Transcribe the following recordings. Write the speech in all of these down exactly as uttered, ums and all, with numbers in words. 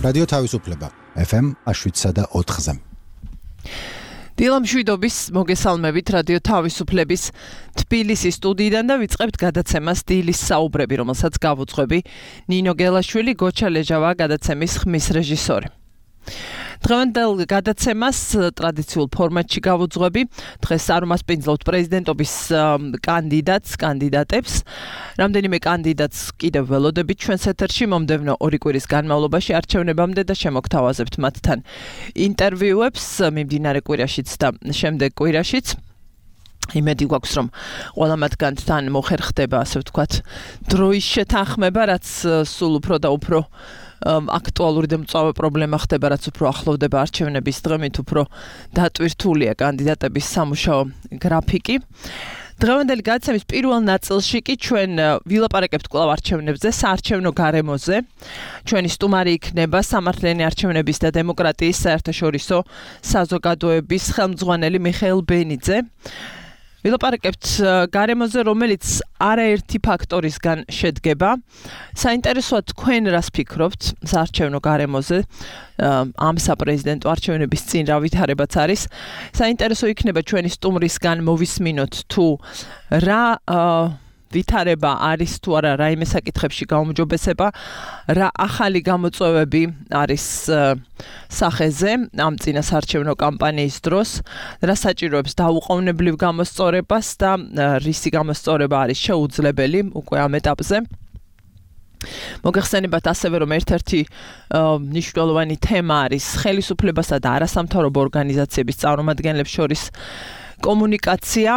რადიო თავისუფლება ეფ ემ შვიდსა და ოთხზე. დილა მშვიდობის მოგესალმებით რადიო თავისუფლების თბილისის სტუდიიდან და ვიწყებთ გადაცემას დილის საუბრები, რომელსაც გავუძღვები ნინო გელაშვილი, გოჩა ლეჟავა გადაცემის ხმის რეჟისორი. დღევანდელ გადაცემას ტრადიციულ ფორმატში გავუძღვები. დღეს არ უმასპინძლობთ პრეზიდენტობის კანდიდატს, კანდიდატებს. რამდენიმე კანდიდატს კიდევ ველოდებით ჩვენს ეთერში მომდევნო ორი კვირის განმავლობაში არჩევნებამდე და შემოგთავაზებთ მათთან ინტერვიუებს მიმდინარე კვირაშიც და შემდეგ კვირაშიც. იმედი გვაქვს, რომ ყველა მათგანთან მოხერხდება, ასე ვთქვათ, დროის შეთანხმება, რაც სულ უფრო და უფრო აქტუალური და მწვავე პრობლემა ხდება, რაც უფრო ახლოვდება არჩევნების დღე, მით უფრო დატვირთულია კანდიდატების სამუშაო გრაფიკი. დღევანდელი გადაცემის პირველ ნაწილში კი ჩვენ ვილაპარაკებთ კვლავ არჩევნებზე, საარჩევნო გარემოზე. ჩვენი სტუმარი იქნება სამართლიანი არჩევნების და დემოკრატიის საერთაშორისო საზოგადოების ხელმძღვანელი მიხეილ ბენიძე. ვილაპარაკებთ გარემოზე, რომელიც არაერთი ფაქტორისგან შედგება. საინტერესოა თქვენ რას ფიქრობთ საარჩევნო გარემოზე, ამ საპრეზიდენტო არჩევნების წინ რა ვითარებაც არის. საინტერესო იქნება ჩვენი სტუმრისგან მოვისმინოთ თუ რა ვითარება არის თუ არა რაიმე საკითხებში გაუმჯობესება, რა ახალი გამოწვევები არის სახეზე ამ წინასაარჩევნო კამპანიის დროს, რა საჭიროებს დაუყოვნებლივ გამოსწორებას და რისი გამოსწორება არის შეუძლებელი უკვე ამ ეტაპზე. მოგეხსენებათ ასევე, რომ ერთ-ერთი მნიშვნელოვანი თემა არის ხელისუფლებასა და არასამთავრობო ორგანიზაციების წარმომადგენლებს შორის კომუნიკაცია,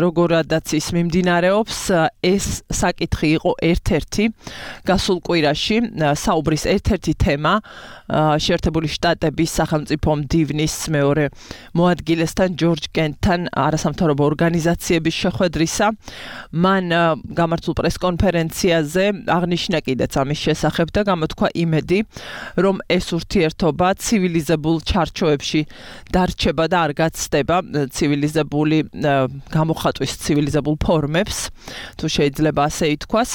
როგორადაც ის მიმდინარეობს. ეს საკითხი იყო ერთ-ერთი გასულ კვირაში საუბრის ერთ-ერთი თემა შეერთებული შტატების სახელმწიფო მდივნის მეორე მოადგილესთან ჯორჯ კენტთან არასამთავრობო ორგანიზაციების შეხვედრისა. მან გამართულ პრესკონფერენციაზე აღნიშნა კიდეც ამის შესახებ და გამოთქვა იმედი, რომ ეს ურთიერთობა ცივილიზებულ ჩარჩოებში დარჩება და არ გაცდება ცივილიზებული გამოხატვის ცივილიზებულ ფორმებს, თუ შეიძლება ასე ითქვას.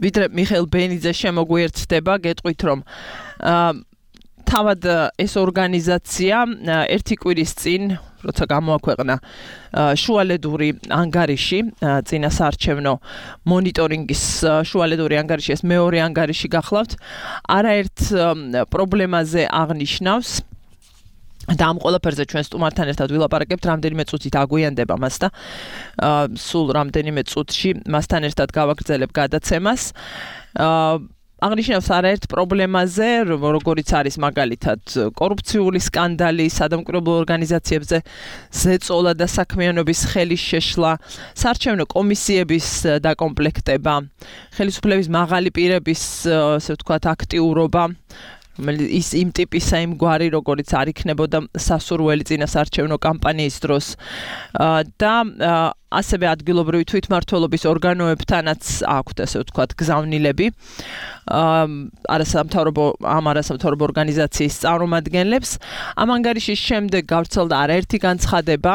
ვიდრე მიხეილ ბენიძე შემოგვიერთდება, გეტყვით, რომ თავად ეს ორგანიზაცია ერთი კვირის წინ, როცა გამოაქვეყნა შუალედური ანგარიში, წინასაარჩევნო მონიტორინგის შუალედური ანგარიში, ეს მეორე ანგარიში გახლავთ, არაერთ პრობლემაზე აღნიშნავს. და ამ ყველაფერზე ჩვენ სტუმართან ერთად ვილაპარაკებთ, რამდენიმე წუთით აგვიანდება მას და სულ რამდენიმე წუთში მასთან ერთად გავაგრძელებ გადაცემას. აღნიშნავს არაერთ პრობლემაზე, როგორიც არის მაგალითად კორუფციული სკანდალი, სადამკვირვებლო ორგანიზაციებზე ზეწოლა და საქმიანობის ხელის შეშლა, საარჩევნო კომისიების დაკომპლექტება, ხელისუფლების მაღალი პირების, ასე ვთქვათ, აქტიურობა, ის იმ ტიპისა იმ გვარი, როგორიც არ იქნებოდა სასურველი წინასაარჩევნო კამპანიის დროს და ასევე ადგილობრივი თვითმმართველობის ორგანოებთანაც აქვთ, ასე ვთქვათ, გზავნილები არასამთავრობო ამ არასამთავრობო ორგანიზაციის წარმომადგენლებს. ამ ანგარიშის შემდეგ გავრცელდა არაერთი განცხადება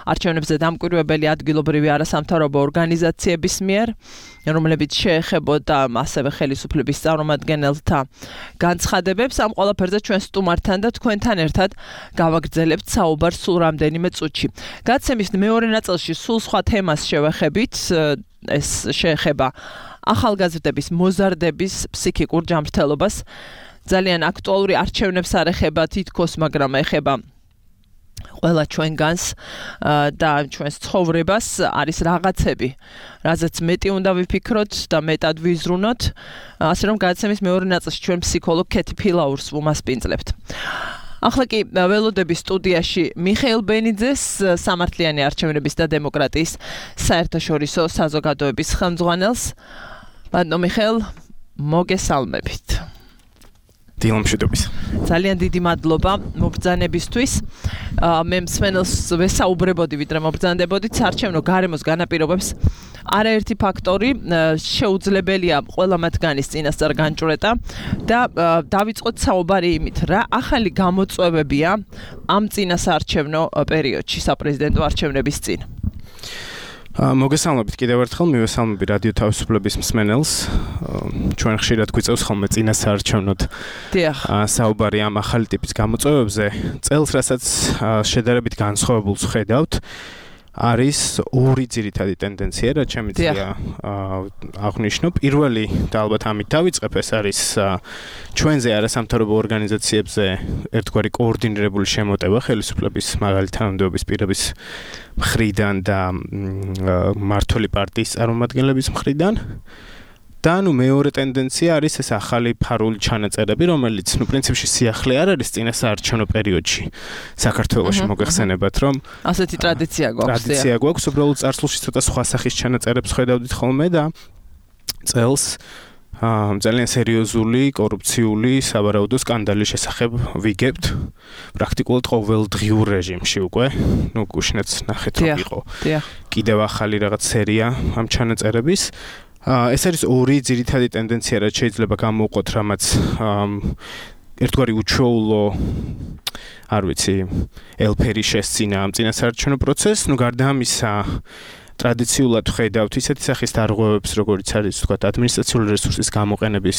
არჩევნებზე დამკვირვებელი ადგილობრივი არასამთავრობო ორგანიზაციების მიერ, რომლებიც შეეხებოდა ასევე ხელისუფლების წარმომადგენელთა განცხადებებს. ამ ყველაფერზე ჩვენ სტუმართან და თქვენთან ერთად გავაგრძელებთ საუბარს სულ რამდენიმე წუთში. გადაცემის მეორე ნაწილში სულ სხვა თემას შევეხებით. ეს შეეხება ახალგაზრდების მოზარდების ფსიქიკურ ჯანმრთელობას. ძალიან აქტუალური არჩევნებს არ ეხება თითქოს, მაგრამ ეხება ყველა ჩვენგანს და ჩვენს ცხოვრებას. არის რაღაცები, რაზეც მეტი უნდა ვიფიქროთ და მეტად ვიზრუნოთ. ასე რომ გადაცემის მეორე ნაწილში ჩვენ ფსიქოლოგ ქეთი ფილაურს ვუმასპინძლებთ. ახლა კი ველოდების სტუდიაში მიხეილ ბენიძეს, სამართლიანი არჩევნების და დემოკრატიის საერთაშორისო საზოგადოების ხელმძღვანელს. ბატონო მიხეილ, მოგესალმებით. დილა მშვიდობის. ძალიან დიდი მადლობა მობრძანებისთვის. მე მსმენელს ვესაუბრებოდი, ვიდრე მობრძანდებოდით, საარჩევნო გარემოს განაპირობებს არაერთი ფაქტორი, შეუძლებელია ყველა მათგანის წინასწარ განჭვრეტა და დავიწყოთ საუბარი იმით, რა ახალი გამოწვევებია ამ წინასაარჩევნო პერიოდში, საპრეზიდენტო არჩევნების წინ. მოგესალმებით კიდევ ერთხელ, მივესალმები რადიო თავისუფლების მსმენელს. ჩვენ ხშირად გვიწევს ხოლმე წინა საარჩევნოდ საუბარი ამ ახალი ტიპის გამოწვევებზე. წელს, რასაც შედარებით განსხვავებულს ხედავთ, არის ორი ძირითადი ტენდენცია, რაც შემიძლია აღვნიშნო. პირველი და ალბათ ამით დავიწყებ, ეს არის ჩვენზე არასამთავრობო ორგანიზაციებზე ერთგვარი კოორდინირებული შემოტევა ხელისუფლების მაღალი თანამდებობის პირების მხრიდან და მმართველი პარტიის წარმომადგენლების მხრიდან. და ნუ მეორე ტენდენცია არის ეს ახალი ფარული ჩანაწერები, რომელიც ნუ პრინციპში სიახლე არ არის წინა საარჩევნო პერიოდში საქართველოში მოგეხსენებათ, რომ ასეთი ტრადიცია გვაქვს. ტრადიცია გვაქვს, უბრალოდ წარსულში ცოტა სხვა სახის ჩანაწერებს ხედავდით ხოლმე და წელს ძალიან სერიოზული კორუფციული სავარაუდო სკანდალის შესახებ ვიგებთ პრაქტიკულად ყოველდღიურ რეჟიმში უკვე. ნუ გუშინაც ნახეთ რომ იყო კიდევ ახალი რაღაც სერია ამ ჩანაწერების. ეს არის ორი ძირითადი ტენდენცია, რაც შეიძლება გამოვყოთ, რამაც ერთგვარი უჩვეულო, არ ვიცი, ელფერი შესწინა ამ წინასაარჩევნო პროცესს. ნუ გარდა ამისა, ტრადიციულად ხედავთ ისეთი სახის დარღვევებს, როგორიც არის, ვთქვათ, ადმინისტრაციული რესურსის გამოყენების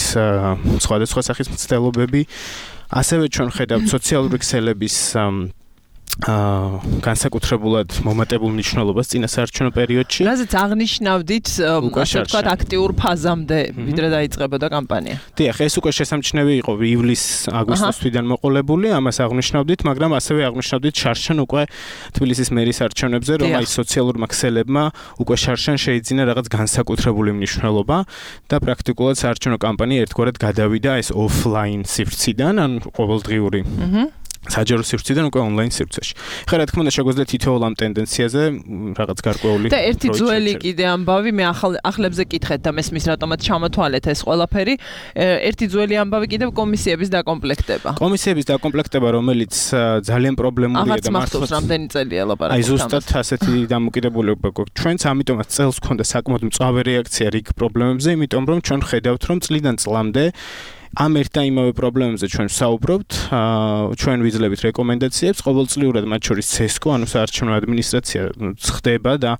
სხვადასხვა სახის მცდელობები. ასევე ჩვენ ხედავთ სოციალური ქსელების აა განსაკუთრებულად მომატებულ მნიშვნელობას წინასაარჩევნო პერიოდში. რაზეც აღნიშნავდით, ასე ვთქვათ, აქტიურ ფაზამდე ვიდრე დაიწყებოდა კამპანია. დიახ, ეს უკვე შესამჩნევი იყო ივლის-აგვისტოს თვიდან მოყოლებული, ამას აღნიშნავდით, მაგრამ ასევე აღნიშნავდით შარშან უკვე თბილისის მერის არჩევნებზე, რომ აი სოციალურმა ქსელებმა უკვე შარშან შეიძინა რაღაც განსაკუთრებული მნიშვნელობა და პრაქტიკულად საარჩევნო კამპანია ერთგვარად გადავიდა ეს ოფლაინ სივრციდან, ან ყოველდღიური. აჰა. საჯარო სივრციდან უკვე ონლაინ სივრცეში. ხა რა თქმა უნდა შეგვიძლია თითოეულ ამ ტენდენციაზე რაღაც გარკვეული და ერთი ძველი კიდე ამბავი მე ახლებზე კითხეთ და მესმის რატომაც ჩამოთვალეთ ეს ყველაფერი. ერთი ძველი ამბავი კიდევ კომისიების დაკომპლექტება. კომისიების დაკომპლექტება, რომელიც ძალიან პრობლემურია და მართლაც რამდენი წელია ლაპარაკობთ. აი ზუსტად ასეთი დამოკიდებულება გვაქვს. ჩვენც ამიტომაც წელს გქონდა საკმაოდ მწვავე რეაქცია რიგ პრობლემებზე, იმიტომ რომ ჩვენ ხედავთ რომ წლიდან წლამდე ამ ერთ და იმავე პრობლემებზე ჩვენ ვსაუბრობთ, ჩვენ ვიძლევით რეკომენდაციებს, ყოველწლიურად მათ შორის ცესკო, ანუ საარჩევნო ადმინისტრაცია ხდება და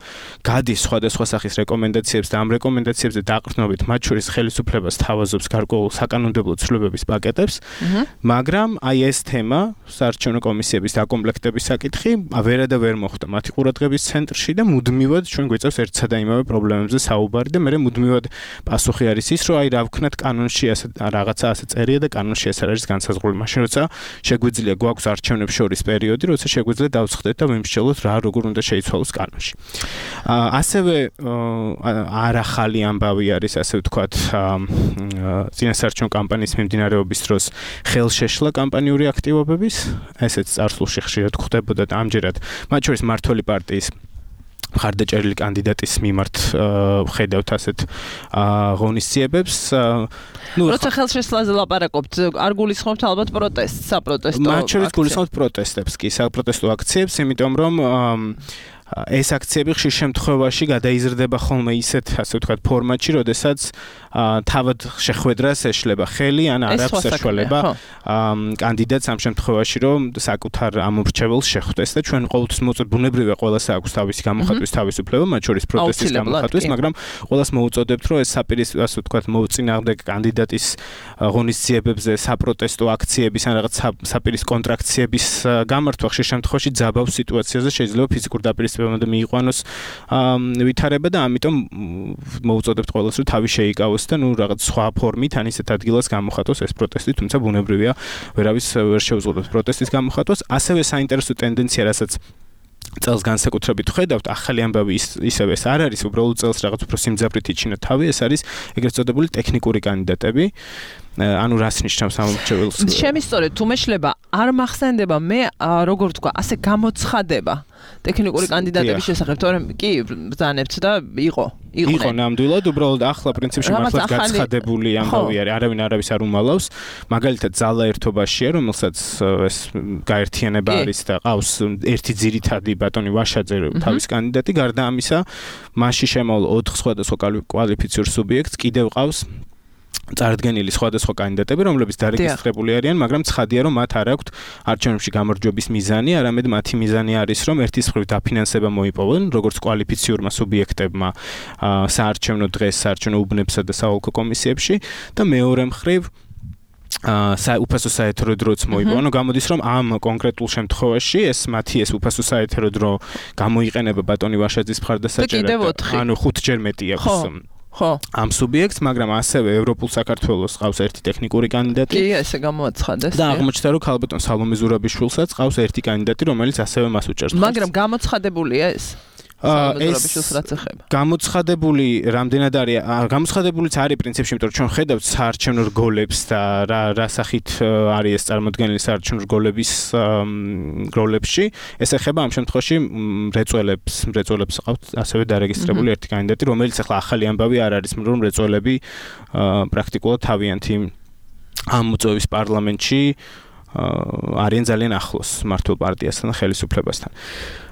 გადის სხვადასხვა სახის რეკომენდაციებს და ამ რეკომენდაციებზე დაყრდნობით მათ შორის ხელისუფლებას თავაზობს გარკვეულ საკანონმდებლო ცვლილებების პაკეტებს, მაგრამ აი ეს თემა, საარჩევნო კომისიების დაკომპლექტების საკითხი, ვერა და ვერ მოხვდა მათი ყურადღების ცენტრში და მუდმივად ჩვენ გვიწევს ერთსა და იმავე პრობლემებზე საუბარი და მე მუდმივად პასუხი არის ის, რომ აი რა ვქნათ კანონში ასე რაღაც ასე წერია და კანონში ეს არ არის განსაზღვრული. მაშინ როცა შეგვიძლია გვაქვს არჩევნებს შორის პერიოდი, როცა შეგვიძლია დავცხდეთ და ვიმსჯელოთ რა როგორ უნდა შეიცვალოს კანონში. ასევე არახალი ამბავი არის, ასე ვთქვათ, წინასაარჩევნო კამპანიის მიმდინარეობის დროს ხელშეშლა კამპანიური აქტივობების, ესეც წარსულში ხშირად გვხდებოდა და ამჯერად მათ შორის მმართველი პარტიის მხარდაჭერილი კანდიდატის მიმართ ხედავთ ასეთ ღონისძიებებს. ნუ როცა ხელშესლაზე ლაპარაკობთ, არ გულისხმობთ ალბათ პროტესტს, საპროტესტო აქციებს. მათ შორის გულისხმობთ პროტესტებს კი, საპროტესტო აქციებს, იმიტომ რომ ეს აქციები ხშირ შემთხვევაში გადაიზრდება ხოლმე ისეთ, ასე ვთქვათ, ფორმატში, როდესაც თავად შეხვედრას ეშლება ხელი, ან არ აქვს საშუალება კანდიდატს ამ შემთხვევაში, რომ საკუთარ ამორჩეველს შეხვდეს და ჩვენ ყოველთვის მოუწოდეთ, ბუნებრივია ყველას აქვს თავისი გამოხატვის თავისუფლება, მათ შორის პროტესტის გამოხატვის, მაგრამ ყველას მოუწოდებთ, რომ ეს საპირის, ასე ვთქვათ, მოუწინააღმდეგ კანდიდატის ღონისძიებებზე, საპროტესტო აქციების ან რაღაც საპირის კონტრაქციების გამართვა ხშირ შემთხვევაში ძაბავს სიტუაციაზე შეიძლება ფიზიკურ დაპირისპირებამდე მიიყვანოს ვითარება და ამიტომ მოუწოდებთ ყველას, რომ თავი შეიკავოს და ნუ რაღაც სხვა ფორმით ან ისეთ ადგილას გამოხატოს ეს პროტესტი, თუმცა ბუნებრივია ვერავის ვერ შეუძლებს პროტესტის გამოხატვას. ასევე საინტერესო ტენდენცია, რასაც წელს განსაკუთრებით ხედავთ, ახალი ამბავი ისევე ეს არ არის, უბრალოდ წელს რაღაც უფრო სიმძაფრით იჩინა თავი, ეს არის ეგრეთ წოდებული ტექნიკური კანდიდატები. ანუ რას ნიშნავს ამორჩეველს? შემისწორეთ, თუ მეშლება არ მახსენდება, მე როგორ ვთქვა, ასე გამოცხადება ტექნიკური კანდიდატების შესახებ, თორემ კი ბრძანებთ და იყო. იყო ნამდვილად, უბრალოდ ახლა პრინციპში მართლაც გაცხადებული ამბავი არის, არავინ არავის არ უმალავს. მაგალითად, ძალა ერთობაშია, რომელსაც ეს გაერთიანება არის და ყავს ერთი ძირითადი ბატონი ვაშაძე თავის კანდიდატი, გარდა ამისა, მასში შემოვალ ოთხ სხვადასხვა კვალიფიციურ სუბიექტს კიდევ ყავს წარდგენილი სხვადასხვა კანდიდატები, რომლებიც დარეგისტრირებული არიან, მაგრამ ცხადია, რომ მათ არ აქვთ არჩევნებში გამარჯვების მიზანი, არამედ მათი მიზანი არის, რომ ერთის მხრივ დაფინანსება მოიპოვონ, როგორც კვალიფიციურმა სუბიექტებმა საარჩევნო დღეს, საარჩევნო უბნებსა და საოლქო კომისიებში და მეორე მხრივ აა უფასო საეთერო დროც მოიპოვონ. ანუ გამოდის, რომ ამ კონკრეტულ შემთხვევაში ეს მათი ეს უფასო საეთერო დრო გამოიყენება ბატონი ვაშაძის მხარდასაჭერად. ანუ ხუთჯერ მეტი აქვს. ხო. ამ სუბიექტს, მაგრამ ასევე ევროპულ საქართველოს ყავს ერთი ტექნიკური კანდიდატი. კი, ესე გამოაცხადეს. და აღმოჩნდა, რომ ქალბატონ სალომე ზურაბიშვილსაც ყავს ერთი კანდიდატი, რომელიც ასევე მას უჭერს. მაგრამ გამოცხადებულია ეს? ეს გამოცხადებული რამდენად არის გამოცხადებულიც არის პრინციპში, იმიტომ რომ ჩვენ ხედავთ საარჩევნო რგოლებს და რა რა სახით არის ეს წარმოდგენილი საარჩევნო რგოლების რგოლებში. ეს ეხება ამ შემთხვევაში მრეწველებს, მრეწველებს ყავთ ასევე დარეგისტრირებული ერთი კანდიდატი, რომელიც ახლა ახალი ამბავი არ არის, რომ მრეწველები პრაქტიკულად თავიანთი ამ მოწვევის პარლამენტში არიან ძალიან ახლოს მართლ პარტიასთან და ხელისუფლებასთან.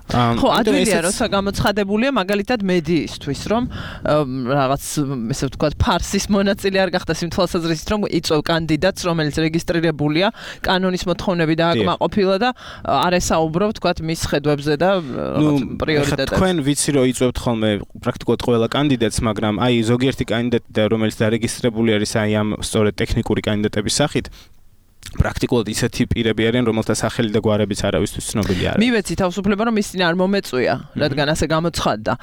ხო, ადვილია, როცა გამოცხადებულია მაგალითად მედიისთვის, რომ რაღაც, ესე ვთქვათ, ფარსის მონაწილე არ გახდეს იმ თვალსაზრისით, რომ იწვევ კანდიდატს, რომელიც რეგისტრირებულია, კანონის მოთხოვნები დააკმაყოფილა და არ ესაუბრო, ვთქვათ, მის ხედვებზე და პრიორიტეტებს. თქვენ ვიცი, რომ იწვევთ ხოლმე პრაქტიკულად ყველა კანდიდატს, მაგრამ აი ზოგიერთი კანდიდატი, რომელიც დარეგისტრირებული არის აი ამ სწორედ ტექნიკური კანდიდატების სახით, პრაქტიკულად ისეთი პირები არიან, რომელთა სახელი და გვარებიც არავისთვის ცნობილი არ არის. მივეცი თავისუფლება, რომ ისინი არ მომეწვია, რადგან ასე გამოცხადდა.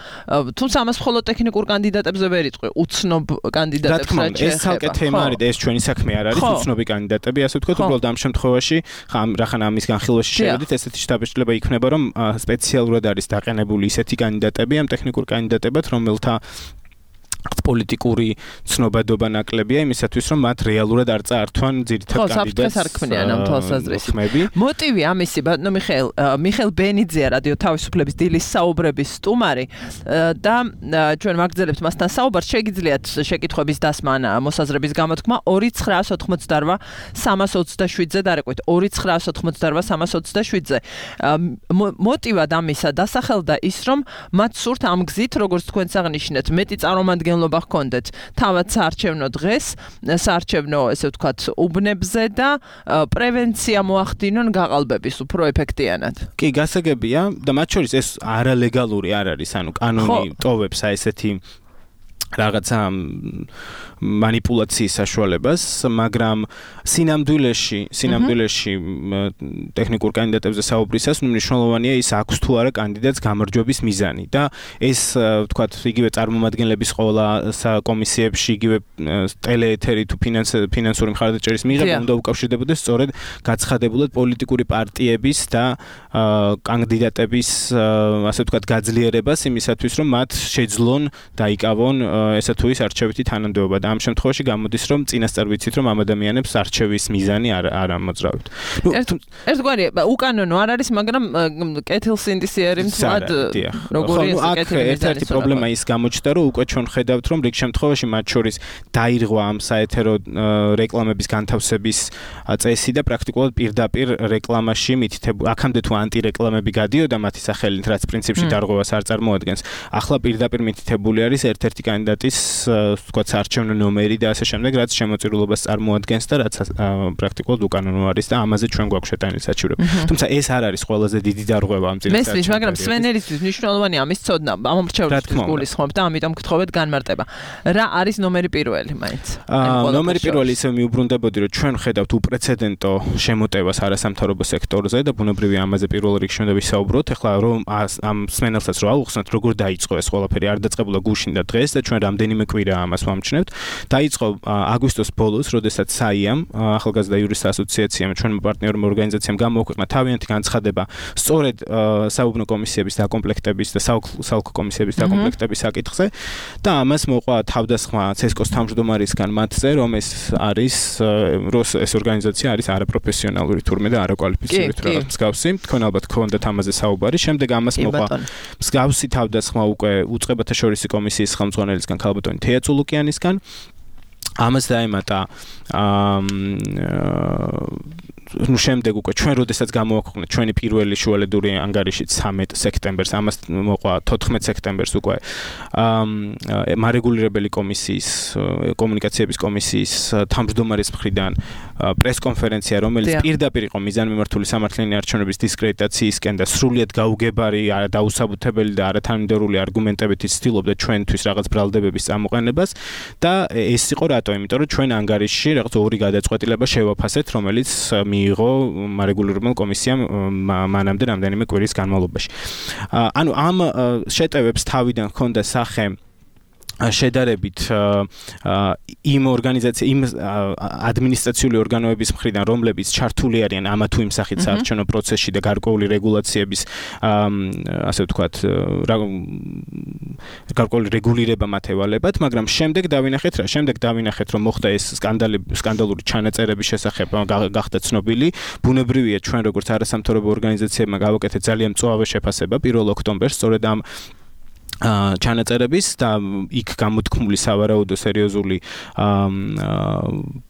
თუმცა ამას მხოლოდ ტექნიკურ კანდიდატებზე ვერ იტყვი, უცნობ კანდიდატებს რა შეეხება. ეს ცალკე თემა არის და ეს ჩვენი საქმე არ არის, უცნობი კანდიდატები, ასე ვთქვათ, უბრალოდ ამ შემთხვევაში, რახან ამის განხილვაში შევედით, ესეთი შტაბ-შტაბება იქნება, რომ სპეციალურად არის დაყენებული ისეთი კანდიდატები ამ ტექნიკურ კანდიდატებად, რომელთა პოლიტიკური ცნობადობა ნაკლებია იმისათვის, რომ მათ რეალურად არ წაართვან ძირითად კანდიდატს. ხო, საფრთხეს არ ქმნიან ამ თვალსაზრისით. მოტივი ამისი, ბატონო მიხეილ, მიხეილ ბენიძეა რადიო თავისუფლების დილის საუბრების სტუმარი და ჩვენ ვაგრძელებთ მასთან საუბარს. შეგიძლიათ შეკითხვების დასმა ან მოსაზრების გამოთქმა ორი ცხრაას ოცდაოთხ სამას ოცდაშვიდზე დარეკვით. ორი ცხრაას ოცდაოთხ სამას ოცდაშვიდზე. მოტივად ამისა დასახელდა ის, რომ მათ სურთ ამ გზით, როგორც თქვენც აღნიშნეთ, მეტი წარმომადგენლობა ჰქონდეთ თავად საარჩევნო დღეს, საარჩევნო, ესე ვთქვათ, უბნებზე და პრევენცია მოახდინონ გაყალბების უფრო ეფექტიანად. კი, გასაგებია და მათ შორის ეს არალეგალური არ არის, ანუ კანონი ტოვებს აი ესეთი რაღაცა манипуляციის საშუალებას, მაგრამ სინამდვილეში, სინამდვილეში ტექნიკურ კანდიდატებზე საუბრისას მნიშვნელოვანია ის აქვს თუ არა კანდიდატს გამარჯვების მიზანი და ეს ვთქვათ, იგივე წარმომადგენლების ყველა კომისიებში, იგივე ტელეეთერი თუ ფინანსური მხარდაჭერის მიღება უნდა უკავშირდებოდეს სწორედ გაცხადებულად პოლიტიკური პარტიების და კანდიდატების, ასე ვთქვათ, გაძლიერებას იმისათვის, რომ მათ შეძლონ დაიკავონ ესა თუ ის არჩევითი თანამდებობა და ამ შემთხვევაში გამოდის, რომ წინასწარ ვიცით, რომ ამ ადამიანებს არჩევის მიზანი არ არ ამოძრავებთ. ნუ ერთგვარი უკანონო არ არის, მაგრამ კეთილსინდისიერი მთლად როგორი ეს კეთილი ერთ-ერთი პრობლემა ის გამოჩნდა, რომ უკვე ჩვენ ხედავთ, რომ რიგ შემთხვევაში მათ შორის დაირღვა ამ საეთერო რეკლამების განთავსების წესი და პრაქტიკულად პირდაპირ რეკლამაში მითითებული, აქამდე თუ ანტირეკლამები გადიოდა მათი სახელით, რაც პრინციპში დარღვევას არ წარმოადგენს. ახლა პირდაპირ მითითებული არის ერთ-ერთი კანდიდატის, ვთქვათ, საარჩევნო ნომერი და ასე შემდეგ, რაც შემოწირულობას წარმოადგენს და რაც პრაქტიკულად უკანონო არის და ამაზე ჩვენ გვაქვს შეტანილი საჩივრები. თუმცა ეს არ არის ყველაზე დიდი დარღვევა ამ წინასწარ. მესმის, მაგრამ სვენერისთვის მნიშვნელოვანია ამის ცოდნა, ამომრჩევლისთვის გულისხმობ და ამიტომ გთხოვეთ განმარტება. რა არის ნომერი პირველი, მაინც? ნომერი პირველი ისე მიუბრუნდებოდი, რომ ჩვენ ხედავთ უპრეცედენტო შემოტევას არასამთავრობო სექტორზე და ბუნებრივია ამაზე პირველ რიგში უნდა ვისაუბროთ. ეხლა რომ ამ სვენელსაც რო ავუხსნათ, როგორ დაიწყო ეს ყველაფერი, არ დაწყებულა გუშინ და დღეს და ჩვენ რამდენიმე კვირა ამას ვამჩნევთ. დაიწყო აგვისტოს ბოლოს, როდესაც საიამ, ახალგაზრდა იურისტთა ასოციაციამ, ჩვენმა პარტნიორმა ორგანიზაციამ გამოაქვეყნა თავიანთი განცხადება სწორედ საუბნო კომისიების დაკომპლექტების და საოლქო კომისიების დაკომპლექტების საკითხზე და ამას მოყვა თავდასხმა ცესკოს თავმჯდომარისგან მათზე, რომ ეს არის რომ ეს ორგანიზაცია არის არაპროფესიონალური თურმე და არაკვალიფიციური თუ რაღაც მსგავსი. თქვენ ალბათ გქონდათ ამაზე საუბარი. შემდეგ ამას მოყვა მსგავსი თავდასხმა უკვე უწყებათა შორისი კომისიის ხელმძღვანელისგან ქალბატონი თეა წულუკიანისგან. ამას დაემატა ნუ შემდეგ უკვე ჩვენ როდესაც გამოვაქვეყნეთ ჩვენი პირველი შუალედური ანგარიში ცამეტ სექტემბერს, ამას მოყვა თოთხმეტ სექტემბერს უკვე მარეგულირებელი კომისიის კომუნიკაციების კომისიის თავმჯდომარის მხრიდან პრესკონფერენცია, რომელიც პირდაპირ იყო მიზანმიმართული სამართლიანი არჩევნების დისკრედიტაციისკენ და სრულიად გაუგებარი, დაუსაბუთებელი და არათანმიმდევრული არგუმენტებით ცდილობდა ჩვენთვის რაღაც ბრალდებების წამოყენებას და ეს იყო რატო? იმიტომ რომ ჩვენ ანგარიშში რაღაც ორი გადაწყვეტილება შევაფასეთ, რომელიც მიიღო მარეგულირებელ კომისიამ მანამდე რამდენიმე კვირის განმავლობაში. ანუ ამ შეტევებს თავიდან ჰქონდა სახე შედარებით იმ ორგანიზაცია იმ ადმინისტრაციული ორგანოების მხრიდან, რომლებიც ჩართული არიან ამა თუ იმ სახით საარჩევნო პროცესში და გარკვეული რეგულაციების ასე ვთქვათ გარკვეული რეგულირება მათ ევალებათ, მაგრამ შემდეგ დავინახეთ რა, შემდეგ დავინახეთ რომ მოხდა ეს სკანდალი სკანდალური ჩანაწერების შესახებ გახდა ცნობილი. ბუნებრივია ჩვენ როგორც არასამთავრობო ორგანიზაციებმა გავაკეთეთ ძალიან მწვავე შეფასება პირველ ოქტომბერს სწორედ ამ ჩანაწერების და იქ გამოთქმული სავარაუდო სერიოზული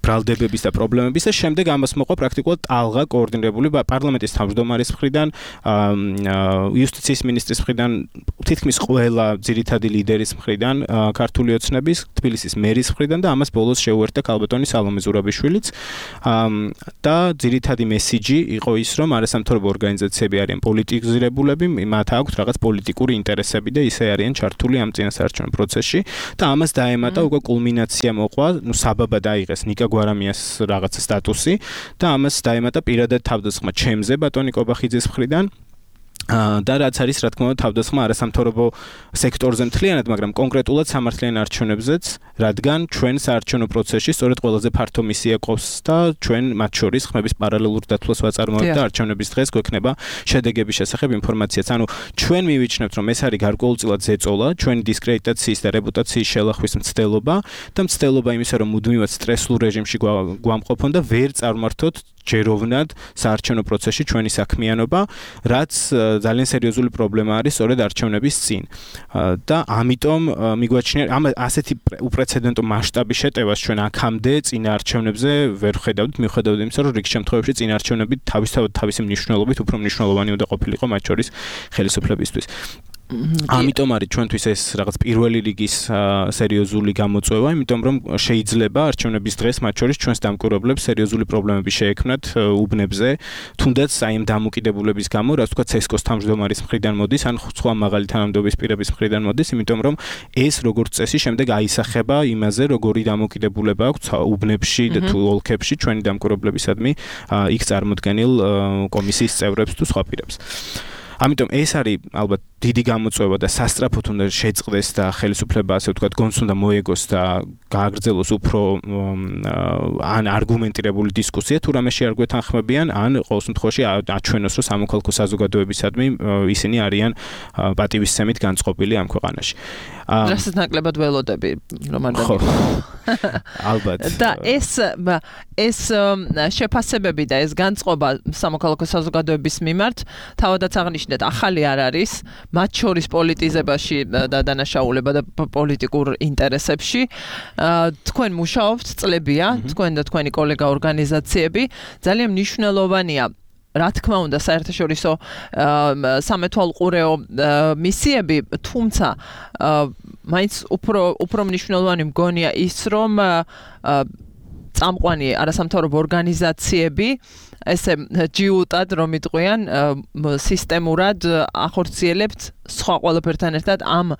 ბრალდებების და პრობლემების და შემდეგ ამას მოყვა პრაქტიკულად ტალღა კოორდინირებული პარლამენტის თავმჯდომარის მხრიდან, იუსტიციის მინისტრის მხრიდან, თითქმის ყველა ძირითადი ლიდერის მხრიდან, ქართული ოცნების, თბილისის მერის მხრიდან და ამას ბოლოს შეუერთდა ქალბატონი სალომე ზურაბიშვილიც და ძირითადი მესიჯი იყო ის, რომ არასამთავრობო ორგანიზაციები არიან პოლიტიზირებულები, მათ აქვთ რაღაც პოლიტიკური ინტერესები და ისე არიან ჩართული ამ წინასაარჩევნო პროცესში და ამას დაემატა უკვე კულმინაცია მოყვა, ნუ საბაბად აიღეს ნიკა გვარამიას რაღაც სტატუსი და ამას დაემატა პირადად თავდასხმა ჩემზე ბატონი კობახიძის მხრიდან და რაც არის რა თქმა უნდა თავდასხმა არასამთავრობო სექტორზე მთლიანად, მაგრამ კონკრეტულად სამართლიან არჩევნებზეც, რადგან ჩვენ საარჩევნო პროცესში სწორედ ყველაზე ფართო მისია ყავს და ჩვენ მათ შორის ხმების პარალელურ დათვლას ვაწარმოებთ და არჩევნების დღეს გვექნება შედეგების შესახებ ინფორმაციაც. ანუ ჩვენ მივიჩნევთ, რომ ეს არის გარკვეულწილად ზეწოლა, ჩვენი დისკრედიტაციის და რეპუტაციის შელახვის მცდელობა და მცდელობა იმისა, რომ მუდმივად სტრესულ რეჟიმში გვამყოფონ და ვერ წარმართოთ ჯეროვნად საარჩევნო პროცესში ჩვენი საქმიანობა, რაც ძალიან სერიოზული პრობლემა არის სწორედ არჩევნების წინ. და ამიტომ მიგვაჩნია ამ ასეთი უპრეცედენტო მასშტაბის შეტევას ჩვენ აქამდე წინა არჩევნებზე ვერ ხედავთ, მიუხედავად იმისა, რომ რიგ შემთხვევებში წინა არჩევნები თავისთავად თავისი მნიშვნელობით უფრო მნიშვნელოვანი უნდა ყოფილიყო მათ შორის ხელისუფლებისთვის. ამიტომ არის ჩვენთვის ეს რაღაც პირველი რიგის სერიოზული გამოწვევა, იმიტომ რომ შეიძლება არჩევნების დღეს მათ შორის ჩვენს დამკვირვებლებს სერიოზული პრობლემები შეექმნათ უბნებზე, თუნდაც აი ამ დამოკიდებულების გამო, რაც თქვა ცესკოს თავმჯდომარის მხრიდან მოდის, ან სხვა მაღალი თანამდებობის პირების მხრიდან მოდის, იმიტომ რომ ეს როგორც წესი შემდეგ აისახება იმაზე, როგორი დამოკიდებულება აქვს უბნებში და თუ ოლქებში ჩვენი დამკვირვებლებისადმი იქ წარმოდგენილ კომისიის წევრებს თუ სხვა პირებს. ამიტომ ეს არის ალბათ დიდი გამოწვევა და სასწრაფოდ უნდა შეწყდეს და ხელისუფლება ასე ვთქვათ გონს უნდა მოეგოს და გააგრძელოს უფრო ან არგუმენტირებული დისკუსია თუ რამეში არ გვეთანხმებიან, ან ყოველ შემთხვევაში აჩვენოს, რომ სამოქალაქო საზოგადოებისადმი ისინი არიან პატივისცემით განწყობილი ამ ქვეყანაში. რასაც ნაკლებად ველოდები რომ არ დაგიგო. ალბათ. და ეს ეს შეფასებები და ეს განწყობა სამოქალაქო საზოგადოების მიმართ თავადაც აღნიშნეთ ახალი არ არის, მათ შორის პოლიტიზებაში და დანაშაულება და პოლიტიკურ ინტერესებში. თქვენ მუშაობთ წლებია, თქვენ და თქვენი კოლეგა ორგანიზაციები, ძალიან მნიშვნელოვანია რა თქმა უნდა საერთაშორისო სამეთვალყურეო მისიები, თუმცა მაინც უფრო უფრო მნიშვნელოვანი მგონია ის, რომ წამყვანი არასამთავრობო ორგანიზაციები ესე ჯიუტად რომ იტყვიან სისტემურად ახორციელებთ სხვა ყველაფერთან ერთად ამ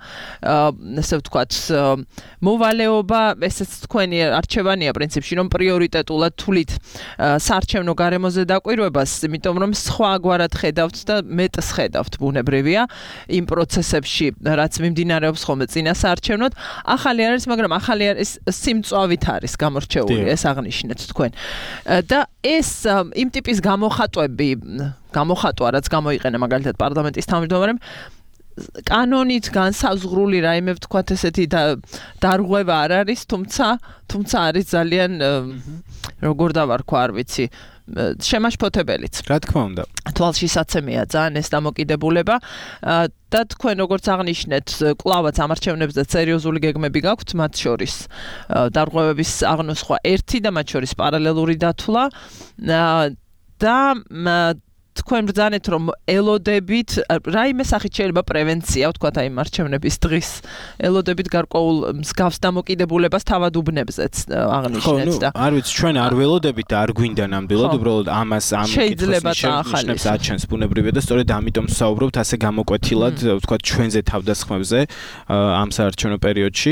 ესე ვთქვათ მოვალეობა, ესეც თქვენი არჩევანია პრინციპში, რომ პრიორიტეტულად თulit საარჩევნო გარემოზე დაკვირვებას, იმიტომ რომ სხვაგვარად ხედავთ და მეტს ხედავთ ბუნებრივია იმ პროცესებში, რაც მიმდინარეობს ხოლმე წინა საარჩევნოდ. ახალი არის, მაგრამ ახალი არის სიმწვავით არის გამორჩეული, ეს აღნიშნეთ თქვენ. და ეს იმ ტიპის გამოხატვები, გამოხატვა, რაც გამოიყენა მაგალითად პარლამენტის თავმჯდომარემ, კანონით განსაზღვრული რაიმე ვთქვათ ესეთი დარღვევა არ არის, თუმცა თუმცა არის ძალიან როგორ დავარქვა, არ ვიცი, შემაშფოთებელიც. რა თქმა უნდა. თვალშისაცემია ძალიან ეს დამოკიდებულება და თქვენ როგორც აღნიშნეთ, კლავაც ამარჩევნებზე სერიოზული გეგმები გაქვთ, მათ შორის დარღვევების აღნოსხვა ერთი და მათ შორის პარალელური დათვლა. და თქვენ ბრძანეთ რომ ელოდებით რაიმე სახით შეიძლება პრევენცია ვთქვათ აი მარჩევნების დღის ელოდებით გარკვეულ მსგავს დამოკიდებულებას თავად უბნებზეც აღნიშნეთ და არ ვიცი ჩვენ არ ველოდებით და არ გვინდა ნამდვილად უბრალოდ ამას ამ შეიძლება დაახალისოს აჩენს ბუნებრივია და სწორედ ამიტომ ვსაუბრობთ ასე გამოკვეთილად ვთქვათ ჩვენზე თავდასხმებზე ამ საარჩევნო პერიოდში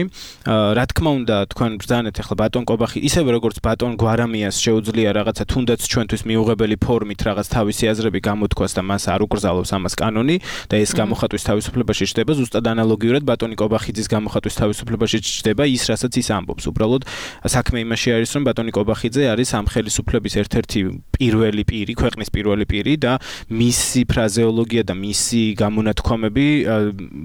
რა თქმა უნდა თქვენ ბრძანეთ ახლა ბატონ კობახი ისევე როგორც ბატონ გვარამიას შეუძლია რაღაცა თუნდაც ჩვენთვის მიუღებელი ფორმით რაღაც თავისი აზრები გამოთქვას და მას არ უკრძალავს ამას კანონი და ეს გამოხატვის თავისუფლებაში ჩდება ზუსტად ანალოგიურად ბატონი კობახიძის გამოხატვის თავისუფლებაში ჩდება ის რასაც ის ამბობს უბრალოდ საქმე იმაში არის რომ ბატონი კობახიძე არის ამ ხელისუფლების ერთ-ერთი პირველი პირი ქვეყნის პირველი პირი და მისი ფრაზეოლოგია და მისი გამონათქვამები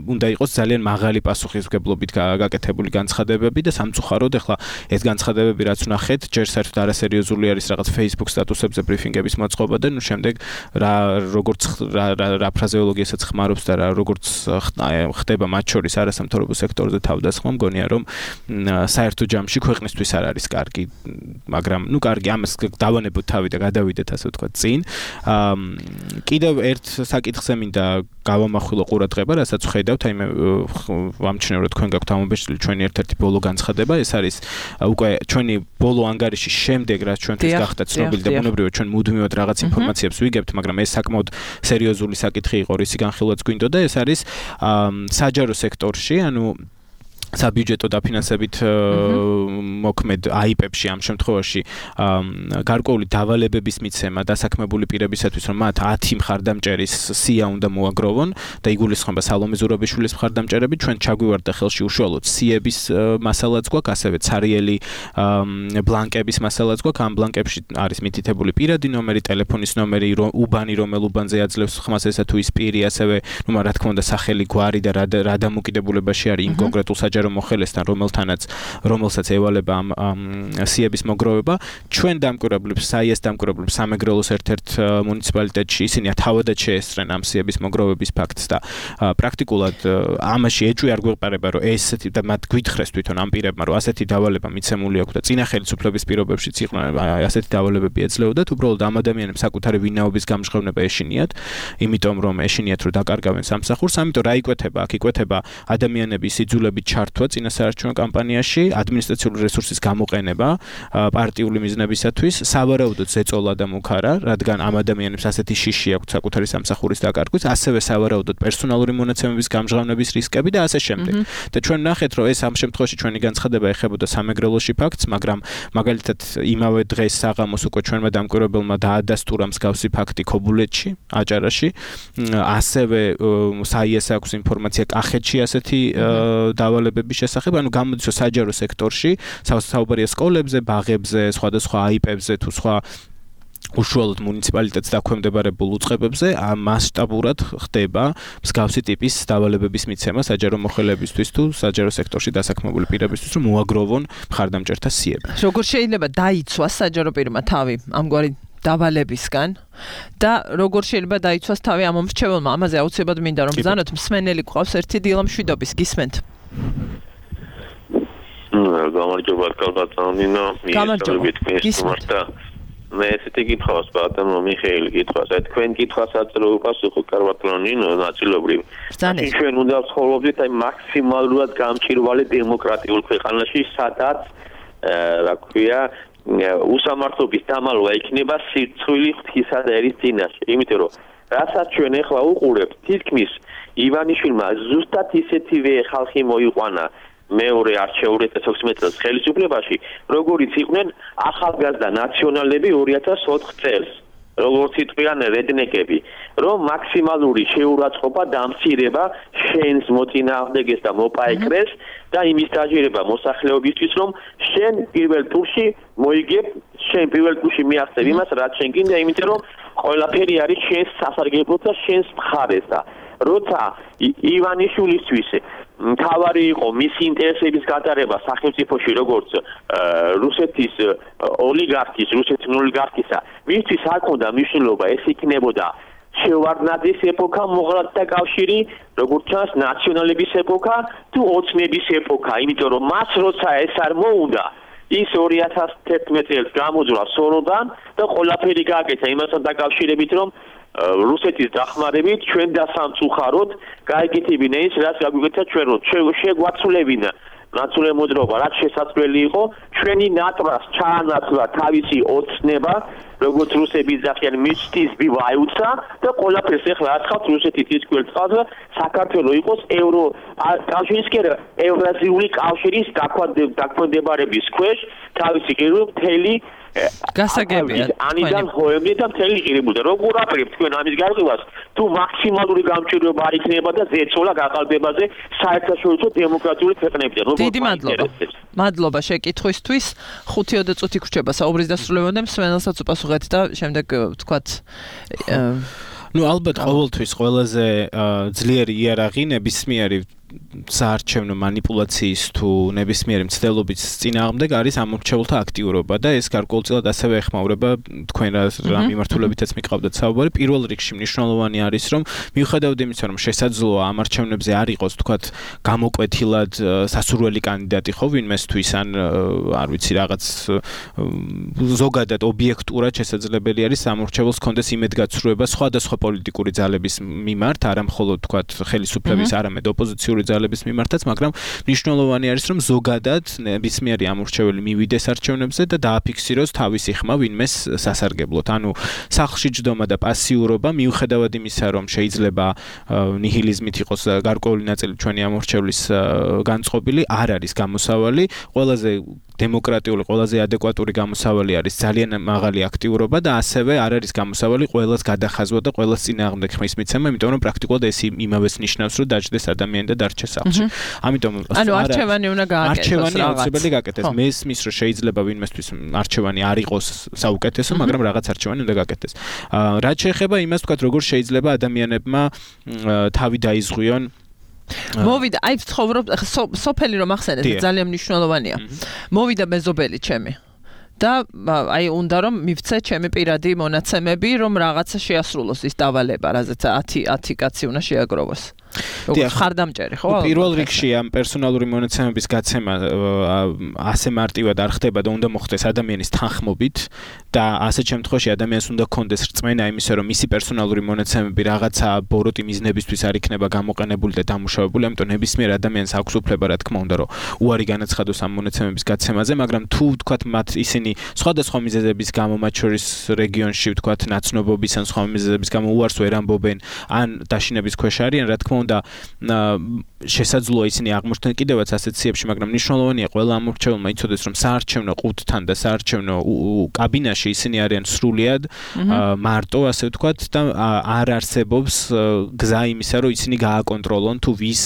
უნდა იყოს ძალიან მაღალი პასუხისმგებლობით გაკეთებული განცხადებები და სამწუხაროდ ახლა ეს განცხადებები რაც ვნახეთ ჯერ საერთოდ არასერიოზული არის რაღაც Facebook სტატუსებზე ბრიფინგების მოწყობა და ნუ შემდეგ რა როგორც რა ფრაზეოლოგიასაც ხმარობს და რა როგორც ხდება მათ შორის არასამთავრობო სექტორზე თავდასხმა მგონია რომ საერთო ჯამში ქვეყნისთვის არ არის კარგი მაგრამ ნუ კარგი ამას დავანებოთ თავი და გადავიდეთ ასე ვთქვათ წინ კიდევ ერთ საკითხზე მინდა გავამახვილო ყურადღება რასაც ვხედავთ აი მე ვამჩნევ რომ თქვენ გაქვთ ამობეჭდილი ჩვენი ერთ-ერთი ბოლო განცხადება ეს არის უკვე ჩვენი ბოლო ანგარიშის შემდეგ რაც ჩვენთვის გახდა ცნობილი და ბუნებრივია ჩვენ მუდმივად რაღაც ინფორმაციებს ვიგებთ მაგრამ ეს საკმაოდ სერიოზული საკითხი იყო რისი განხილვაც გვინდოდა ეს არის საჯარო სექტორში ანუ საბიუჯეტო დაფინანსებით მოქმედ აიპებში ამ შემთხვევაში გარკვეული დავალებების მიცემა დასაქმებული პირებისათვის რომ მათ ათი მხარდამჭერის სია უნდა მოაგროვონ და იგულისხმება სალომე ზურაბიშვილის მხარდამჭერები ჩვენ ჩაგვივარდა ხელში უშუალოდ სიების მასალაც გვაქვს ასევე ცარიელი ბლანკების მასალაც გვაქვს ამ ბლანკებში არის მითითებული პირადი ნომერი ტელეფონის ნომერი უბანი რომელ უბანზე აძლევს ხმას ესა თუ ის პირი ასევე ნუ რა თქმა უნდა სახელი გვარი და რა დამოკიდებულებაში არის იმ კონკრეტულ საჯარო მოხელესთან რომელთანაც რომელსაც ევალება ამ სიების მოგროვება ჩვენ დამკვირვებლებს საიეს დამკვირვებლებს სამეგრელოს ერთ-ერთ მუნიციპალიტეტში ისინი თავადაც შეესწრენ ამ სიების მოგროვების ფაქტს და პრაქტიკულად ამაში ეჭვი არ გვეყარება რომ ესეთი და მათ გვითხრეს თვითონ ამ პირებმა რომ ასეთი დავალება მიცემული აქვს და წინა ხელისუფლების პირობებშიც იყვნენ ასეთი დავალებები ეძლეოდათ უბრალოდ ამ ადამიანებს საკუთარი ვინაობის გამჟღავნება ეშინიათ იმიტომ რომ ეშინიათ რომ დაკარგავენ სამსახურს ამიტომ რა იკვეთება აქ იკვეთება ადამიანების იძულებით ჩართვა წინა საარჩევნო კამპანიაში ადმინისტრაციული რესურსის გამოყენება პარტიული მიზნებისათვის სავარაუდოდ ზეწოლა და მუქარა რადგან ამ ადამიანებს ასეთი შიში აქვს საკუთარი სამსახურის დაკარგვის ასევე სავარაუდოდ პერსონალური მონაცემების გამჟღავნების რისკები და ასე შემდეგ და ჩვენ ნახეთ რომ ეს ამ შემთხვევაში ჩვენი განცხადება ეხებოდა სამეგრელოში ფაქტს მაგრამ მაგალითად იმავე დღეს საღამოს უკვე ჩვენმა დამკვირვებელმა დაადასტურა მსგავსი ფაქტი ქობულეთში აჭარაში ასევე საიეს აქვს ინფორმაცია კახეთში ასეთი დავალებების შესახებ, ანუ გამოდის რომ საჯარო სექტორში, საუბარია სკოლებზე, ბაღებზე, სხვადასხვა აიპებზე თუ სხვა უშუალოდ მუნიციპალიტეტს დაქვემდებარებულ უწყებებზე მასშტაბურად ხდება მსგავსი ტიპის დავალებების მიცემა საჯარო მოხელებისთვის თუ საჯარო სექტორში დასაქმებული პირებისთვის, რომ მოაგროვონ მხარდამჭერთა სიები. როგორ შეიძლება დაიცვას საჯარო პირმა თავი ამგვარი დავალებისგან და როგორ შეიძლება დაიცვას თავი ამ მომრჩეველმა? ამაზე აუცილებლად მინდა რომ ბრძანოთ მსმენელი გვყავს ერთი დილა მშვიდობის გისმენთ. გამარჯობა კალბატონინო გამარჯობა გისმენთ მე ესეთი კითხვას ბატონო მიხეილი კითხვას აი თქვენ კითხვასაც რო უპასუხო კალბატონინო ნაწილობრივ ჩვენ უნდა ვცხოვრობდით აი მაქსიმალურად გამჭირვალე დემოკრატიულ ქვეყანაში სადაც რა ქვია უსამართლობის დამალვა იქნება სირცხვილი ღვთისა და ერის წინაშე იმიტომ რომ რასაც ჩვენ ახლა უყურებთ თითქმის ივანიშვილმა ზუსტად ისეთივე ხალხი მოიყვანა მეორე არჩეულ deux mille seize წელს ხელისუფლებაში როგორიც იყვნენ ახალგაზრდა ნაციონალები two thousand four წელს როგორც იტყვიან რედნეკები რომ მაქსიმალური შეურაცხყოფა დამცირება შენს მოწინააღმდეგეს და მოპაეკრეს და იმის დაჟირება მოსახლეობისთვის რომ შენ პირველ ტურში მოიგებ შენ პირველ ტურში მიაღწევ იმას რაც შენ გინდა იმიტომ რომ ყველაფერი არის შენს სასარგებლოდ და შენს მხარეს და როცა ივანიშვილისთვის თავარი იყო მისი ინტერესების გატარება სახელმწიფოში როგორც რუსეთის ოლიგარქის, რუსეთის ოლიგარქისა, ვისთვის არ ქონდა მნიშვნელობა, ეს იქნებოდა შევარდნაძის ეპოქა, მოღალატეთა კავშირი, როგორც ჩანს, ნაციონალების ეპოქა თუ ოცნების ეპოქა, იმიტომ რომ მას როცა ეს არ მოუნდა, ის ორი ათას თერთმეტი წელს გამოძვრა სოროდან და ყველაფერი გააკეთა იმასთან დაკავშირებით, რომ რუსეთის დახმარებით ჩვენ დასამწუხაროდ გაიგეთებინა ის, რაც გაგვიკეთა ჩვენ, რომ შეგვაცვლებინა ნაცვლად მოძრაობა, რაც შესაძლებელი იყო, ჩვენი ნატრას ჩაანაცვლა თავისი ოცნება, როგორც რუსები ძახიან მისთვის ბივაიუცა და ყველაფერს ახლა აცხავთ რუსეთის ის კვალწავს და საქართველოს იყოს ევრო კავშირის კერა ევრაზიული კავშირის დაქვემდებარების ქვეშ თავისი ღირო მთელი გასაგებია ანიდან ჰოემდე და მთელი ღირებულდა როგორ აპირებთ თქვენ ამის გარკვევას თუ მაქსიმალური გამჭირვება არ იქნება და ზეცოლა გაყალბებაზე საერთაშორისო დემოკრატიული ქვეყნებიდან როგორ დიდი მადლობა მადლობა შეკითხვისთვის ხუთი ოცდაოთხ წუთი გრჩება საუბრის დასრულებამდე მსმენელსაც უპასუხეთ და შემდეგ ვთქვათ ну ალბათ ყოველთვის ყველაზე ძლიერი იარაღი ნებისმიერი საარჩევნო манипуляციის თუ ნებისმიერი მცდელობის წინააღმდეგ არის ამორჩეულთა აქტიურობა და ეს გარკვეულწილად ასევე ეხმაურება თქვენ რა მიმართულებითაც მიყავდათ საუბარი პირველ რიგში მნიშვნელოვანი არის რომ მიუხედავად იმისა რომ შესაძლოა ამ არჩევნებზე არ იყოს თქვათ გამოკვეთილად სასურველი კანდიდატი ხო ვინმესთვის ან არ ვიცი რაღაც ზოგადად ობიექტურად შესაძლებელი არის ამორჩეულს კონდეს იმედგაცრუება სხვადასხვა პოლიტიკური ძალების მიმართ არა მხოლოდ თქვათ ხელისუფლების არამედ ოპოზიციური ძალების მიმართაც, მაგრამ მნიშვნელოვანი არის, რომ ზოგადად ნებისმიერი ამორჩეველი მივიდეს არჩევნებზე და დააფიქსიროს თავისი ხმა ვინმეს სასარგებლოდ. ანუ სახლში ჯდომა და პასიურობა მიუხედავად იმისა, რომ შეიძლება ნიჰილიზმით იყოს გარკვეული ნაწილი ჩვენი ამორჩევლის განწყობილი, არ არის გამოსავალი, ყველაზე დემოკრატიული, ყველაზე ადეკვატური გამოსავალი არის ძალიან მაღალი აქტიურობა და ასევე არ არის გამოსავალი ყველას გადახაზვა და ყველას წინააღმდეგ ხმის მიცემა, იმიტომ რომ პრაქტიკულად ეს იმავეს ნიშნავს, რომ დაждდეს ადამიანი და დარჩეს სახლში. ამიტომ ანუ არჩევანი უნდა გააკეთოს. არჩევანი აუცილებელი გააკეთეს. მესმის რომ შეიძლება ვინმესთვის არჩევანი არ იყოს საუკეთესო, მაგრამ რაღაც არჩევანი უნდა გააკეთეს. რაც შეეხება იმას თქვათ, როგორ შეიძლება ადამიანებმა თავი დაიზღვიონ მოვიდა, აი ვცხოვრობ, სოფელი რომ ახსენეთ, ძალიან მნიშვნელოვანია. მოვიდა მეზობელი ჩემი. და აი უნდა რომ მივცე ჩემი პირადი მონაცემები, რომ რაღაცა შეასრულოს ის დავალება, რაზეც ათი ათი კაცი უნდა შეაგროვოს. როგორც ხარდამჭერი, ხო? პირველ რიგში ამ პერსონალური მონაცემების გაცემა ასე მარტივად არ ხდება და უნდა მოხდეს ადამიანის თანხმობით და ასეთ შემთხვევაში ადამიანს უნდა კონდეს რწმენა იმისა, რომ მისი პერსონალური მონაცემები რაღაცა ბოროტი მიზნებისთვის არ იქნება გამოყენებული და დამუშავებული, ამიტომ ნებისმიერ ადამიანს აქვს უფლება, რა თქმა უნდა, რომ უარი განაცხადოს ამ მონაცემების გაცემაზე, მაგრამ თუ ვთქვათ მათ ისინი სხვადასხვა მიზეზების გამო მათ შორის რეგიონში ვთქვათ ნაცნობობის ან სხვა მიზეზების გამო უარს ვერ ამბობენ ან დაშინების ქვეშ არიან, რა თქმა უნდა შესაძლოა ისინი აღმოჩნდნენ კიდევაც ასეთ სიებში, მაგრამ მნიშვნელოვანია ყველა ამორჩეულმა იცოდეს, რომ საარჩევნო ყუთთან და საარჩევნო კაბინაში ისინი არიან სრულიად მარტო, ასე ვთქვათ, და არ არსებობს გზა იმისა, რომ ისინი გააკონტროლონ თუ ვის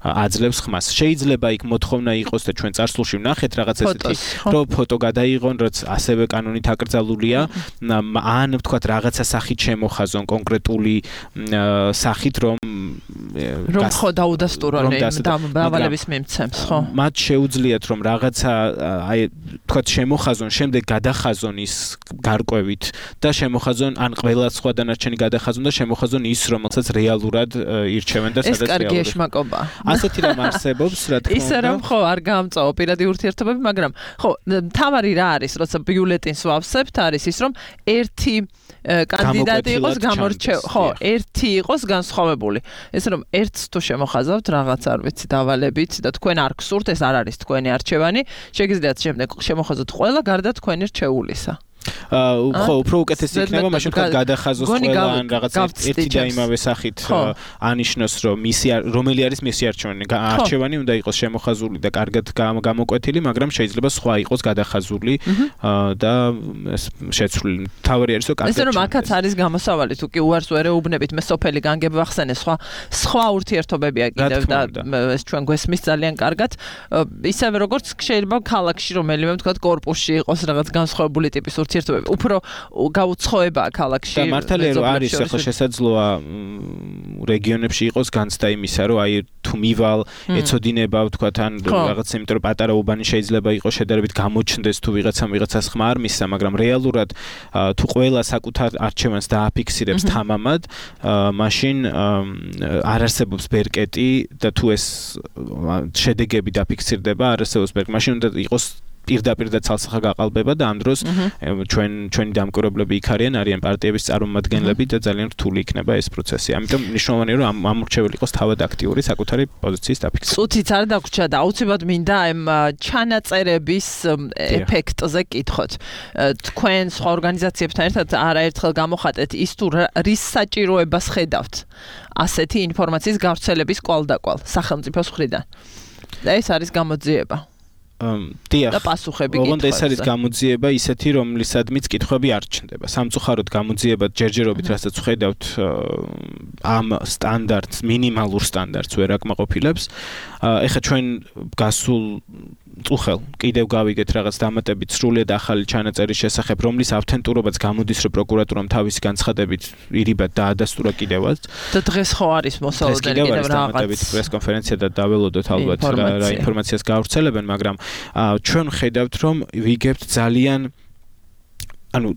აძლევს ხმას. შეიძლება იქ მოთხოვნა იყოს და ჩვენ წარსულში ვნახეთ რაღაც ესეთი, რომ ფოტო გადაიღონ, რაც ასევე კანონით აკრძალულია, ან ვთქვათ რაღაცა სახით შემოხაზონ კონკრეტული სახით, რომ რომ ხო დაუდასტურონ დავალების მიმცემს, ხო? მათ შეუძლიათ რომ რაღაცა აი თქვათ შემოხაზონ, შემდეგ გადახაზონ ის გარკვევით და შემოხაზონ ან ყველა სხვა დანარჩენი გადახაზონ და შემოხაზონ ის, რომელსაც რეალურად ირჩევენ და სადაც რეალურად. ეს კარგი ეშმაკობა. ასეთი რამ არსებობს, რა თქმა უნდა. ისე რომ ხო არ გაამწაო პირადი ურთიერთობები, მაგრამ ხო, თავარი რა არის, როცა ბიულეტინს ვავსებთ, არის ის, რომ ერთი კანდიდატი იყოს გამორჩევ, ხო, ერთი იყოს განსხვავებული. ესე რომ ერთს თუ შემოხაზავთ რაღაც არ ვიცი დავალებით და თქვენ არ გსურთ, ეს არ არის თქვენი არჩევანი, შეგიძლიათ შემდეგ შემოხაზოთ ყველა გარდა თქვენი რჩეულისა. ხო, უფრო უკეთესი იქნება, მაშინ თქვა გადახაზოს ყველა ან რაღაც ერთი და იმავე სახით ანიშნოს, რომ მისი რომელი არის მისი არჩევანი. არჩევანი უნდა იყოს შემოხაზული და კარგად გამოკვეთილი, მაგრამ შეიძლება სხვა იყოს გადახაზული და შეცვლილი. თავი არის, რომ კარგად. ესე რომ აქაც არის გამოსავალი, თუ კი უარს ვერ ეუბნებით, მე სოფელი განგები ვახსენე, სხვა სხვა ურთიერთობებია კიდევ და ეს ჩვენ გვესმის ძალიან კარგად. ისევე როგორც შეიძლება ქალაქში რომელიმე ვთქვათ კორპუსში იყოს რაღაც განსხვავებული ტიპის ურთიერთობები, უფრო გაუცხოებაა ქალაქში. და მართალია რომ არის ახლა შესაძლოა რეგიონებში იყოს განცდა იმისა, რომ აი თუ მივალ ეცოდინება ვთქვათ ან რაღაც იმიტომ რომ პატარა უბანი შეიძლება იყოს შედარებით გამოჩნდეს თუ ვიღაცამ ვიღაცას ხმა არ მისცა, მაგრამ რეალურად თუ ყველა საკუთარ არჩევანს დააფიქსირებს თამამად, მაშინ არ არსებობს ბერკეტი და თუ ეს შედეგები დაფიქსირდება, არ არსებობს ბერკეტი, მაშინ უნდა იყოს პირდაპირ და ცალსახა გაყალბება და ამ დროს ჩვენ ჩვენი დამკვირვებლები იქ არიან, არიან პარტიების წარმომადგენლები და ძალიან რთული იქნება ეს პროცესი. ამიტომ მნიშვნელოვანია რომ ამ ამორჩეველი იყოს თავად აქტიური საკუთარი პოზიციის დაფიქსირება. წუთიც არ დაგვრჩა და აუცილებლად მინდა ამ ჩანაწერების ეფექტზე კითხოთ. თქვენ სხვა ორგანიზაციებთან ერთად არაერთხელ გამოხატეთ ის თუ რის საჭიროებას ხედავთ ასეთი ინფორმაციის გავრცელების კვალდაკვალ სახელმწიფოს მხრიდან. და ეს არის გამოძიება. დიახ. და პასუხები ოღონდ ეს არის გამოძიება ისეთი, რომლისადმიც კითხვები არ ჩნდება. სამწუხაროდ გამოძიება ჯერჯერობით, რასაც ხედავთ, ამ სტანდარტს, მინიმალურ სტანდარტს ვერ აკმაყოფილებს. ეხლა ჩვენ გასულ წუხელ კიდევ გავიგეთ რაღაც დამატებით სრულიად ახალი ჩანაწერის შესახებ, რომლის ავთენტურობაც გამოდის, რომ პროკურატურამ თავისი განცხადებით ირიბად დაადასტურა კიდევაც. და დღეს ხო არის მოსალოდნელი კიდევ რაღაც დამატებით პრესკონფერენცია და დაველოდოთ ალბათ რა ინფორმაციას გავრცელებენ, მაგრამ ჩვენ ხედავთ, რომ ვიგებთ ძალიან ანუ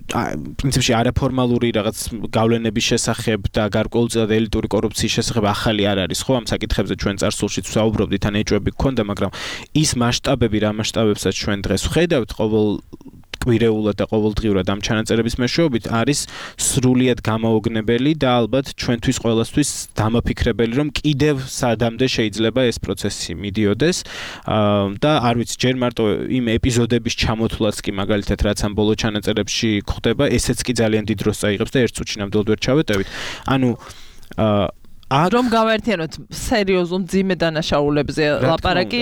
პრინციპში არაფორმალური რაღაც გავლენების შესახებ და გარკვეულწილად ელიტური კორუფციის შესახებ ახალი არ არის, ხო? ამ საკითხებზე ჩვენ წარსულში ვსაუბრობდით, ან ეჭვები გქონდა, მაგრამ ის მასშტაბები, რა მასშტაბებსაც ჩვენ დღეს ვხედავთ, ყოველ კვირეულად და ყოველდღიურად ამ ჩანაწერების მეშვეობით არის სრულიად გამოუგნებელი და ალბათ ჩვენთვის ყველასთვის დამაფიქრებელი, რომ კიდევ სადამდე შეიძლება ეს პროცესი მიდიოდეს და არ ვიცი, ჯერ მარტო იმ ეპიზოდების ჩამოთვლაც კი მაგალითად რაც ამ ბოლო ჩანაწერებში ხდება, ესეც კი ძალიან დიდ დროს წაიღებს და ერთ წუთში ნამდვილად ვერ ჩავეტევით. ანუ რომ გავაერთიანოთ სერიოზულ მძიმე დანაშაულებზე ლაპარაკი,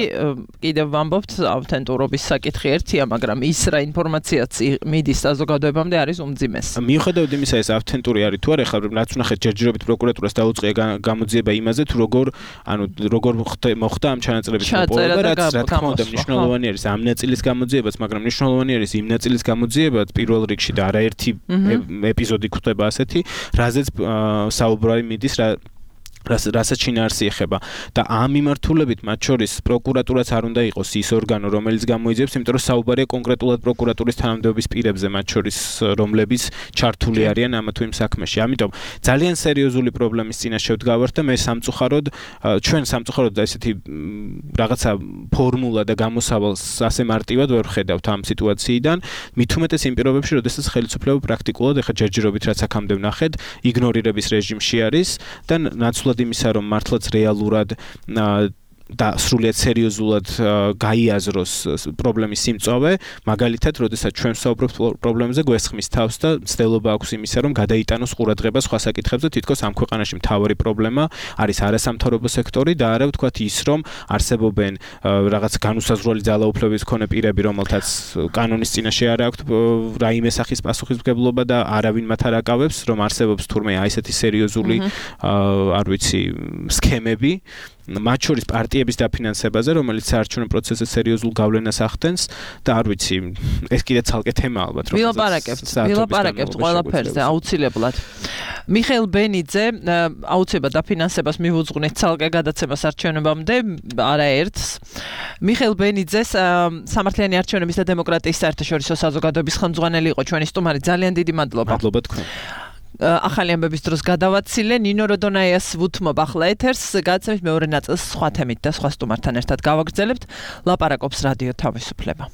კიდევ ვამბობთ, ავთენტურობის საკითხი ერთია, მაგრამ ის რა ინფორმაციაც მიდის საზოგადოებამდე არის უმძიმეს. მიუხედავად იმისა, ეს ავთენტური არის თუ არა, ხა რაც ვნახეთ ჯერჯერობით პროკურატურას დაუწყია გამოძიება იმაზე, თუ როგორ, ანუ როგორ მოხდა ამ ჩანაწერების მოპოვება, რაც რა თქმა უნდა მნიშვნელოვანი არის ამ ნაწილის გამოძიებაც, მაგრამ მნიშვნელოვანი არის იმ ნაწილის გამოძიებაც პირველ რიგში და არაერთი ეპიზოდი ხდება ასეთი, რაზეც საუბარი მიდის რა რასაც შინაარსი ეხება და ამ მიმართულებით მათ შორის პროკურატურაც არ უნდა იყოს ის ორგანო, რომელიც გამოიძიებს, იმიტომ რომ საუბარია კონკრეტულად პროკურატურის თანამდებობის პირებზე, მათ შორის რომლებიც ჩართული არიან ამა თუ იმ საქმეში. ამიტომ ძალიან სერიოზული პრობლემის წინაშე ვდგავართ და მე სამწუხაროდ ჩვენ სამწუხაროდ ესეთი რაღაცა ფორმულა და გამოსავალს ასე მარტივად ვერ ვხედავთ ამ სიტუაციიდან, მით უმეტეს იმ პირობებში, როდესაც ხელისუფლება პრაქტიკულად ეხა ჯერჯერობით რაც აქამდე ვნახეთ, იგნორირების რეჟიმში არის და ნაცვლად იმისა, რომ მართლაც რეალურად და სრულიად სერიოზულად გაიაზროს პრობლემის სიმწოვე, მაგალითად, როდესაც ჩვენ ვსაუბრობთ პრობლემებზე, გვესხმის თავს და ცდილობა აქვს იმისა, რომ გადაიტანოს ყურადღება სხვა საკითხებზე, თითქოს ამ ქვეყანაში მთავარი პრობლემა არის არასამთავრობო სექტორი და არა ვთქვათ ის, რომ არსებობენ რაღაც განუსაზღვრელი ძალაუფლების მქონე პირები, რომელთაც კანონის წინაშე არ აქვთ რაიმე სახის პასუხისმგებლობა და არავინ მათ არ აკავებს, რომ არსებობს თურმე აი ესეთი სერიოზული არ ვიცი სქემები მათ შორის პარტიების დაფინანსებაზე, რომელიც საარჩევნო პროცესზე სერიოზულ გავლენას ახდენს და არ ვიცი, ეს კიდე ცალკე თემა ალბათ, რომ ვილაპარაკებთ, ვილაპარაკებთ ყველაფერზე აუცილებლად. მიხეილ ბენიძე აუცილებლად დაფინანსებას მივუძღვნით ცალკე გადაცემას არჩევნებამდე, არაერთს. მიხეილ ბენიძეს სამართლიანი არჩევნების და დემოკრატიის საერთაშორისო საზოგადოების ხელმძღვანელი იყო ჩვენი სტუმარი. ძალიან დიდი მადლობა. მადლობა თქვენ. ახალი ამბების დროს გადავაცილე ნინო როდონაიას ვუთმობ ახლა ეთერს, გადაცემის მეორე ნაწილს სხვა თემით და სხვა სტუმართან ერთად გავაგრძელებთ. ლაპარაკობს რადიო თავისუფლება.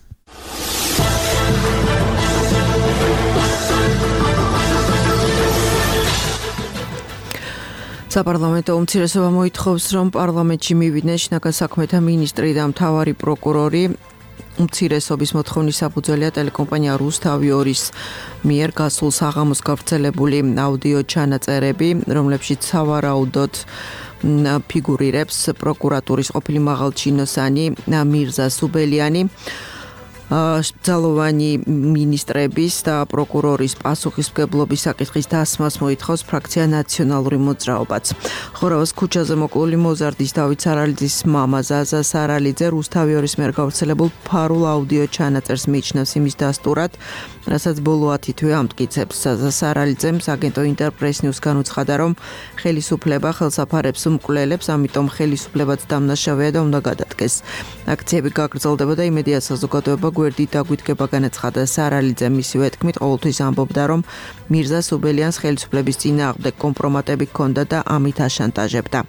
საპარლამენტო უმცირესობა მოითხოვს, რომ პარლამენტში მივიდნენ შინაგან საქმეთა მინისტრი და მთავარი პროკურორი. უმცირესობის მოთხოვნის საფუძველია ტელეკომპანია რუსთავი-ორის მიერ გასულ საღამოს გავრცელებული აუდიო ჩანაწერები, რომლებშიც სავარაუდოდ ფიგურირებს პროკურატურის ყოფილი მაღალჩინოსანი მირზა სუბელიანი. ძალოვანი მინისტრების და პროკურორის პასუხისმგებლობის საკითხის დასმას მოითხოვს ფრაქცია ნაციონალური მოძრაობაც. ხორავას ქუჩაზე მოკლული მოზარდის დავით სარალიძის მამა ზაზა სარალიძე რუსთავი-ორის მიერ გავრცელებულ ფარულ აუდიო ჩანაწერს მიიჩნევს იმის დასტურად, რასაც ბოლო ათი თვე ამტკიცებს. ზაზა სარალიძემ აგენტო ინტერპრეს ნიუს განუცხადა, რომ ხელისუფლება ხელსაფარებს უმკვლელებს, ამიტომ ხელისუფლებაც დამნაშავეა და უნდა გადადგეს. აქციები გაგრძელდება და იმედია საზოგადოება გვერდით დაგვითგება განაცხადა სარალიძემ მისივე თქმით ყოველთვის ამბობდა რომ მირზა სუბელიანს ხელისუფლების წინააღმდეგ კომპრომატები ჰქონდა და ამით აშანტაჟებდა.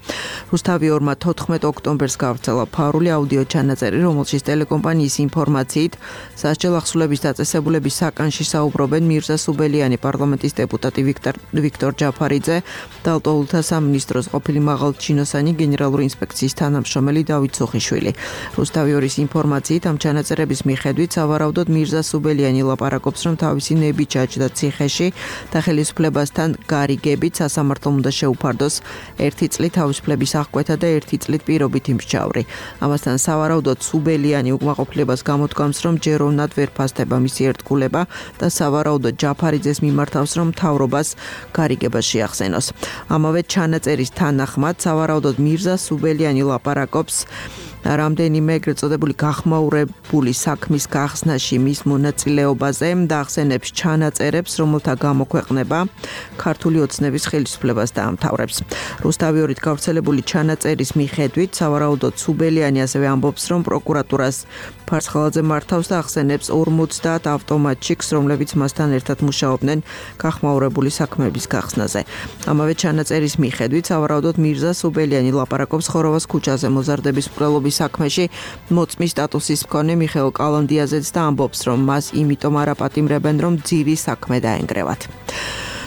რუსთავი ორმა თოთხმეტ ოქტომბერს გავრცელა ფარული აუდიო ჩანაწერი, რომელშიც ტელეკომპანიის ინფორმაციით სასჯელ ახსულების დაწესებულების საკანში საუბრობენ მირზა სუბელიანი, პარლამენტის დეპუტატი ვიქტორ ვიქტორ ჯაფარიძე და ალტოულთა სამინისტროს ყოფილი მაღალჩინოსანი გენერალური ინსპექციის თანამშრომელი დავით სუხიშვილი. რუსთავი ორის ინფორმაციით ამ ჩანაწერების მიხედვით სავარაუდოდ მირზა სუბელიანი ლაპარაკობს, რომ თავისი ნები ჩაჯდა ციხეში და ხელისუფლებასთან გარიგებით სასამართლომ უნდა შეუფარდოს ერთი წლით თავისუფლების აღკვეთა და ერთი წლით პირობითი მსჯავრი. ამასთან სავარაუდოდ სუბელიანი უკმაყოფილებას გამოდგამს, რომ ჯეროვნად ვერ ფასდება მისი ერთგულება და სავარაუდოდ ჯაფარიძეს მიმართავს, რომ მთავრობას გარიგება შეახსენოს. ამავე ჩანაწერის თანახმად სავარაუდოდ მირზა სუბელიანი ლაპარაკობს რამდენიმე ეგრეთ წოდებული გახმაურებული საქმის გახსნაში მის მონაწილეობაზე და ახსენებს ჩანაწერებს, რომელთა გამოქვეყნება ქართული ოცნების ხელისუფლებას დაამთავრებს. რუსთავი ორით გავრცელებული ჩანაწერის მიხედვით სავარაუდოდ სუბელიანი ასევე ამბობს, რომ პროკურატურას ფარცხალაძე მართავს და ახსენებს ორმოცდაათ ავტომატჩიკს, რომლებიც მასთან ერთად მუშაობდნენ გახმაურებული საქმეების გახსნაზე. ამავე ჩანაწერის მიხედვით სავარაუდოდ მირზა სუბელიანი ლაპარაკობს ხოროვას ქუჩაზე მოზარდების მკვლელობის საქმეში მოწმის სტატუსის მქონე მიხეილ კალანდიაზეც და ამბობს, რომ მას იმიტომ არ აპატიმრებენ, რომ ძირი საქმე დაენგრევათ.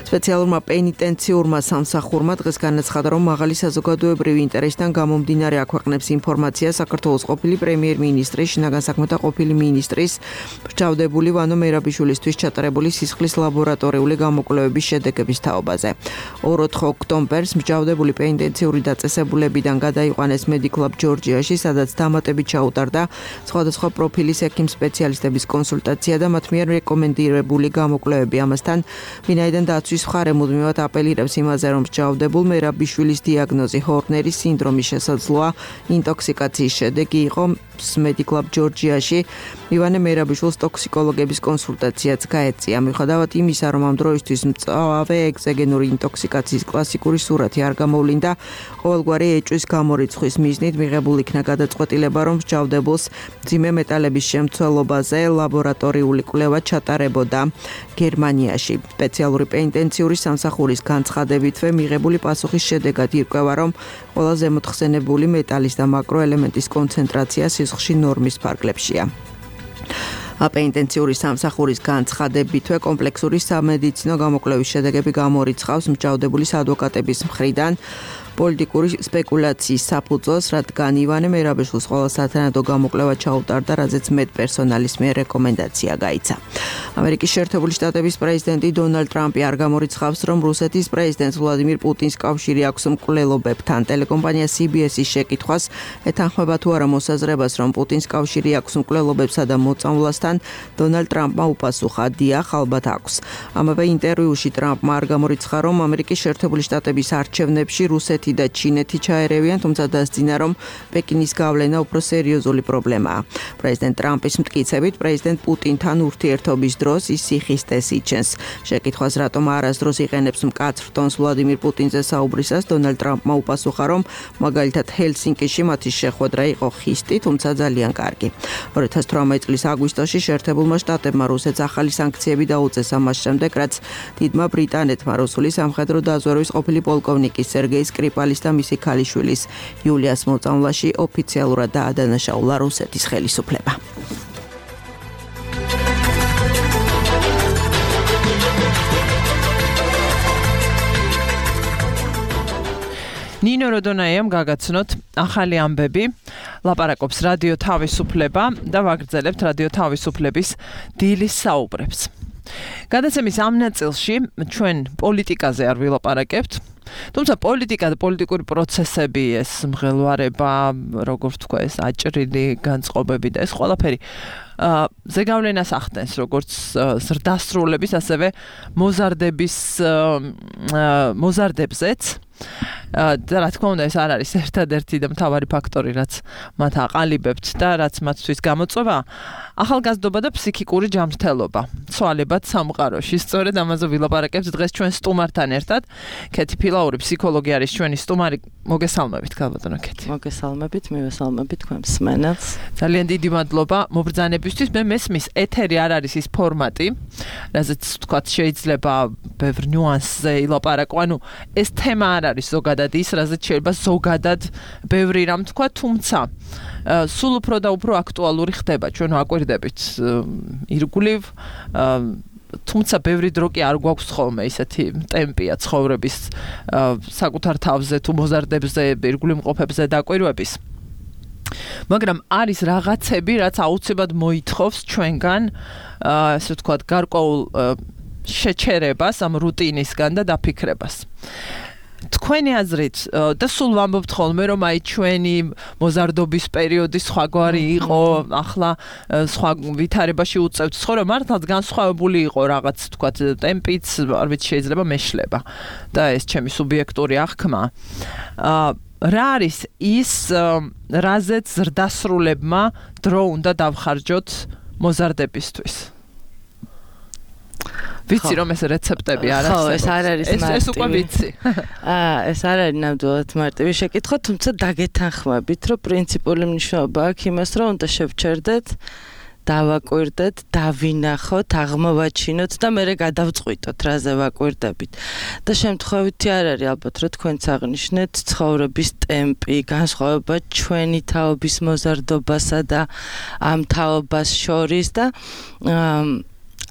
სპეციალურმა პენიტენციურმა სამსახურმა დღეს განაცხადა, რომ მაღალი საზოგადოებრივი ინტერესიდან გამომდინარე აქვეყნებს ინფორმაცია საქართველოს ყოფილი პრემიერ-მინისტრის, შინაგან საქმეთა ყოფილი მინისტრის მრჩევლებული ვანო მერაბიშვილისთვის ჩატარებული სისხლის ლაბორატორიული გამოკვლევების შედეგების თაობაზე. ორ-ოთხ ოქტომბერს მრჩევლებული პენიტენციური დაწესებულებიდან გადაიყვანეს მედიკლაბ ჯორჯიაში, სადაც დამატებით ჩაუტარდა სხვადასხვა პროფილის ექიმ სპეციალისტების კონსულტაცია და მათ მიერ რეკომენდირებული გამოკვლევები. ამასთან ვინაიდან დაცვის მხარე მუდმივად აპელირებს იმაზე, რომ მსჯავრდებულ მერაბიშვილის დიაგნოზი ჰორნერის სინდრომის შესაძლოა ინტოქსიკაციის შედეგი იყო, მედიკლაბ ჯორჯიაში ივანე მერაბიშვილს ტოქსიკოლოგების კონსულტაციაც გაეწია. მიუხედავად იმისა, რომ ამ დროისთვის მწვავე ეგზოგენური ინტოქსიკაციის კლასიკური სურათი არ გამოვლინდა, ყოველგვარი ეჭვის გამორიცხვის მიზნით მიღებულ იქნა გადაწყვეტილება, რომ მსჯავრდებულს მძიმე მეტალების შემცველობაზე ლაბორატორიული კვლევა ჩატარებოდა გერმანიაში. სპეციალური პენიტენციური სამსახურის განცხადებითვე მიღებული პასუხის შედეგად ირკვევა, რომ ყველა ზემოთხსენებული მეტალის და მაკროელემენტის კონცენტრაცია სისხლში ნორმის ფარგლებშია. პენიტენციური სამსახურის განცხადებითვე კომპლექსური სამედიცინო გამოკვლევის შედეგები გამორიცხავს მსჯავრდებულის ადვოკატების მხრიდან პოლიტიკური სპეკულაციის საფუძველს, რადგან ივანე მერაბიშვილს ყველა სათანადო გამოკვლევა ჩაუტარდა, რაზეც მედპერსონალის მიერ რეკომენდაცია გაიცა. ამერიკის შეერთებული შტატების პრეზიდენტი დონალდ ტრამპი არ გამორიცხავს, რომ რუსეთის პრეზიდენტ ვლადიმირ პუტინს კავშირი აქვს მკვლელობებთან. ტელეკომპანია სი ბი ეს-ის შეკითხვას ეთანხმება თუ არა მოსაზრებას, რომ პუტინს კავშირი აქვს მკვლელობებსა და მოწამვლასთან, დონალდ ტრამპმა უპასუხა, დიახ, ალბათ აქვს. ამავე ინტერვიუში ტრამპმა არ გამორიცხა, რომ ამერიკის შეერთებული შტატების არჩევნებში რუსეთი და ჩინეთი ჩაერევიან, თუმცა დასძინა, რომ პეკინის გავლენა უფრო სერიოზული პრობლემაა. პრეზიდენტ ტრამპის მტკიცებით, პრეზიდენტ პუტინთან ურთიერთობის დროს ის სიხისტეს იჩენს. შეკითხვას, რატომ არასდროს იყენებს მკაცრ ტონს ვლადიმირ პუტინზე საუბრისას, დონალდ ტრამპმა უპასუხა, რომ მაგალითად ჰელსინკიში მათი შეხვედრა იყო ხისტი, თუმცა ძალიან კარგი. ორი ათას თვრამეტი წლის აგვისტოში შეერთებულმა შტატებმა რუსეთს ახალი სანქციები დაუწეს ამას შემდეგ, რაც დიდმა ბრიტანეთმა რუსული სამხედრო დაზვერვის ყოფილი პოლკოვნიკის სერგეი სკრიპალის და მისი ქალიშვილის იულიას მოწამვლაში ოფიციალურად დაადანაშაულა რუსეთის ხელისუფლება. ნინო როდონაიამ გაგაცნოთ ახალი ამბები, ლაპარაკობს რადიო თავისუფლება და ვაგრძელებთ რადიო თავისუფლების დილის საუბრებს. გადაცემის ამ ნაწილში ჩვენ პოლიტიკაზე არ ვილაპარაკებთ, თუმცა პოლიტიკა და პოლიტიკური პროცესები, ეს მღელვარება, როგორ თქვა, ეს აჭრილი განწყობები და ეს ყველაფერი ზეგავლენას ახდენს, როგორც ზრდასრულების, ასევე მოზარდების მოზარდებზეც. და რა თქმა უნდა, ეს არ არის ერთადერთი და მთავარი ფაქტორი, რაც მათ აყალიბებთ და რაც მათთვის გამოწვევა, ახალგაზრდობა და ფსიქიკური ჯანმრთელობა, ცვალებად სამყაროში. სწორედ ამაზე ვილაპარაკებთ დღეს ჩვენ სტუმართან ერთად. ქეთი ფილაური, ფსიქოლოგი არის ჩვენი სტუმარი. მოგესალმებით, ქალბატონო ქეთი. მოგესალმებით, მივესალმებით თქვენ მსმენელს. ძალიან დიდი მადლობა. მობრძანებით მოსარდებისთვის მე მესმის ეთერი არ არის ის ფორმატი, რაზეც თქვა შეიძლება ბევრ ნიუანსზე ილაპარაკო, ანუ ეს თემა არ არის ზოგადად ის, რაზეც შეიძლება ზოგადად ბევრი რამ თქვა, თუმცა სულ უფრო და უფრო აქტუალური ხდება, ჩვენ ვაკვირდებით ირგვლივ, თუმცა ბევრი დრო კი არ გვაქვს ხოლმე ისეთი ტემპია ცხოვრების საკუთარ თავზე თუ მოზარდებზე, ირგვლივ მყოფებზე დაკვირვების. მაგრამ არის რაღაცები, რაც აუცილებლად მოითხოვს ჩვენგან, ასე ვთქვათ, გარკვეულ შეჩერებას ამ რუტინისგან და დაფიქრებას. თქვენი აზრით და სულ ვამბობთ ხოლმე, რომ აი ჩვენი მოზარდობის პერიოდი სხვაგვარი იყო, ახლა სხვა ვითარებაში უწევთ ცხოვრება, მართლაც განსხვავებული იყო რაღაც, ვთქვათ, ტემპიც, არ ვიცი, შეიძლება მეშლება და ეს ჩემი სუბიექტური აღქმა. რა არის ის, რაზეც ზრდასრულებმა დრო უნდა დავხარჯოთ მოზარდებისთვის? ვიცი რომ ეს რეცეპტები არ არსებობს. ხო, ეს არ არის მარტივი. ეს უკვე ვიცი. აა, ეს არ არის ნამდვილად მარტივი შეკითხვა, თუმცა დაგეთანხმებით, რომ პრინციპული მნიშვნელობა აქვს იმას, რომ უნდა შევჩერდეთ, დავაკვირდეთ, დავინახოთ, აღმოვაჩინოთ და მერე გადავწყვიტოთ, რაზე ვაკვირდებით. და შემთხვევითი არ არის ალბათ, რომ თქვენც აღნიშნეთ, ცხოვრების ტემპი, განსხვავება ჩვენი თაობის მოზარდობასა და ამ თაობას შორის და აა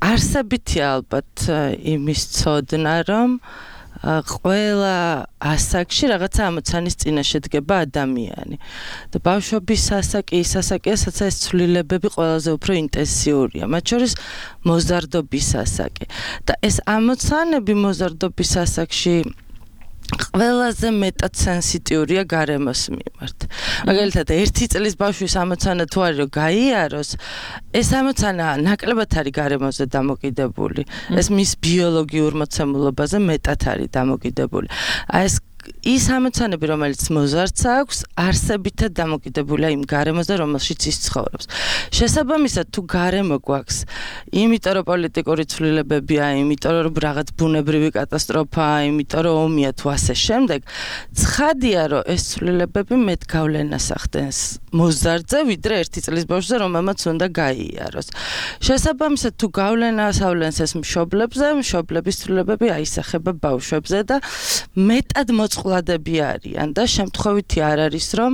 არსებითი ალბათ იმის ცოდნა, რომ ყველა ასაკში რაღაცა ამოცანის წინაშე დგება ადამიანი. და ბავშვობის ასაკი, ის ასაკია, სადაც ეს ცვლილებები ყველაზე უფრო ინტენსიურია, მათ შორის მოზარდობის ასაკი. და ეს ამოცანები მოზარდობის ასაკში ყველაზე მეტად სენსიტიურია გარემოს მიმართ. მაგალითად, ერთი წლის ბავშვის ამოცანა თუ არის რომ გაიაროს, ეს ამოცანა ნაკლებად არის გარემოზე დამოკიდებული. ეს მის ბიოლოგიურ მოცემულობაზე მეტად არის დამოკიდებული. აი ეს ის ამოცანები, რომელიც მოზარდს აქვს, არსებითად დამოკიდებულია იმ გარემოზე, რომელშიც ის ცხოვრობს. შესაბამისად, თუ გარემო გვაქვს, იმიტომ რომ პოლიტიკური ცვლილებებია, იმიტომ რომ რაღაც ბუნებრივი კატასტროფაა, იმიტომ რომ ომია თუ ასე შემდეგ, ცხადია, რომ ეს ცვლილებები მეტ გავლენას ახდენს მოზარდზე, ვიდრე ერთი წლის ბავშვზე, რომელმაც უნდა გაიაროს. შესაბამისად, თუ გავლენას ავლენს ეს მშობლებზე, მშობლების ცვლილებები აისახება ბავშვებზე და მეტად მოწყვლადები არიან და შემთხვევითი არ არის, რომ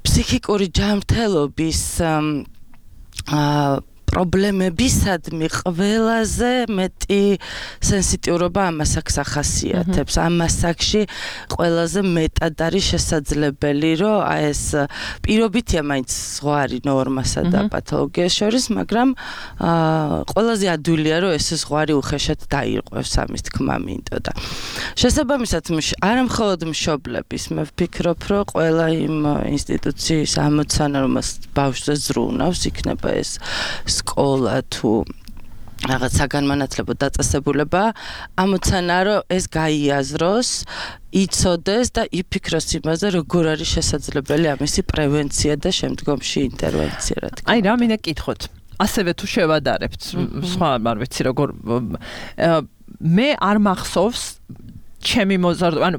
ფსიქიკური ჯანმრთელობის აა პრობლემებისადმი ყველაზე მეტი სენსიტიურობა ამასაკს ახასიათებს. ამ ასაკში ყველაზე მეტად არის შესაძლებელი, რომ აი ეს პირობითია მაინც ზღვარი ნორმასა და პათოლოგიას შორის, მაგრამ აა ყველაზე ადვილია, რომ ეს ზღვარი უხეშად დაირღვევს, ამის თქმა მინდოდა. შესაბამისად, არა მხოლოდ მშობლების, მე ვფიქრობ, რომ ყველა იმ ინსტიტუციის ამოცანა, რომელსაც ბავშვზე ზრუნავს, იქნება ეს სკოლა თუ რაღაც საგანმანათლებლო დაწესებულება, ამოცანა, რომ ეს გაიაზროს, იცოდეს და იფიქროს იმაზე, როგორ არის შესაძლებელი ამისი პრევენცია და შემდგომში ინტერვენცია, რა თქმა უნდა. აი, რა მინდა კითხოთ. ასევე თუ შევადარებთ, სხვა არ ვიცი როგორ მე არ მახსოვს ჩემი მოზარდი, ანუ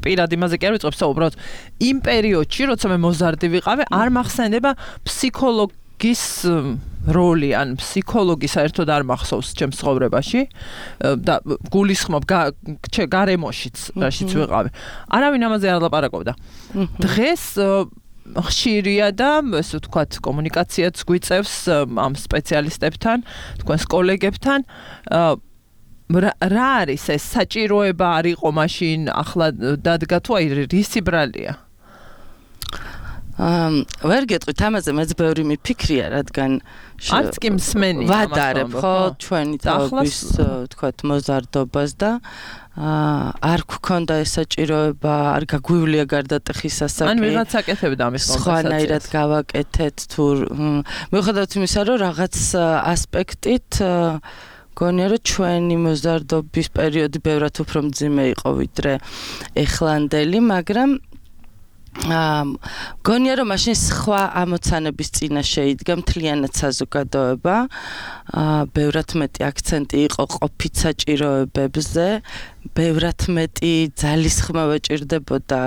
პირად იმაზე კი არ ვიწყებს, უბრალოდ იმ პერიოდში, როცა მე მოზარდი ვიყავი, არ მახსენდება ფსიქოლოგ გის როლი ან ფსიქოლოგი საერთოდ არ მახსოვს ჩემს ცხოვრებაში და გულისხმობ გარემოშიც რაშიც ვიყავი. არავინ ამაზე არ ლაპარაკობდა. დღეს ხშირია და ესე ვთქვათ კომუნიკაციაც გვიწევს ამ სპეციალისტებთან, თქვენს კოლეგებთან. რა არის ეს საჭიროება არ იყო მაშინ, ახლა დადგა თუ აი რისი ბრალია? აა ვერ გეტყვით ამაზე, მეც ბევრი მიფიქრია, რადგან არც კი მსმენი ვადარებ ხო ჩვენი თაობის ვთქვათ მოზარდობას და აა არ გქონდა ეს საჭიროება, არ გაგვივლია გარდატეხის ასაკი. ან ვიღაც აკეთებდა ამის კონტექსტს. სხვანაირად გავაკეთეთ თუ მიუხედავად იმისა, რომ რაღაც ასპექტით გონია რომ ჩვენი მოზარდობის პერიოდი ბევრად უფრო მძიმე იყო ვიდრე ეხლანდელი, მაგრამ აა გონია რომ მაშინ სხვა ამოცანების წინაშე იდგა მთლიანად საზოგადოება, აა ბევრად მეტი აქცენტი იყო ყოფით საჭიროებებზე, ბევრად მეტი ძალისხმევა ჭირდებოდა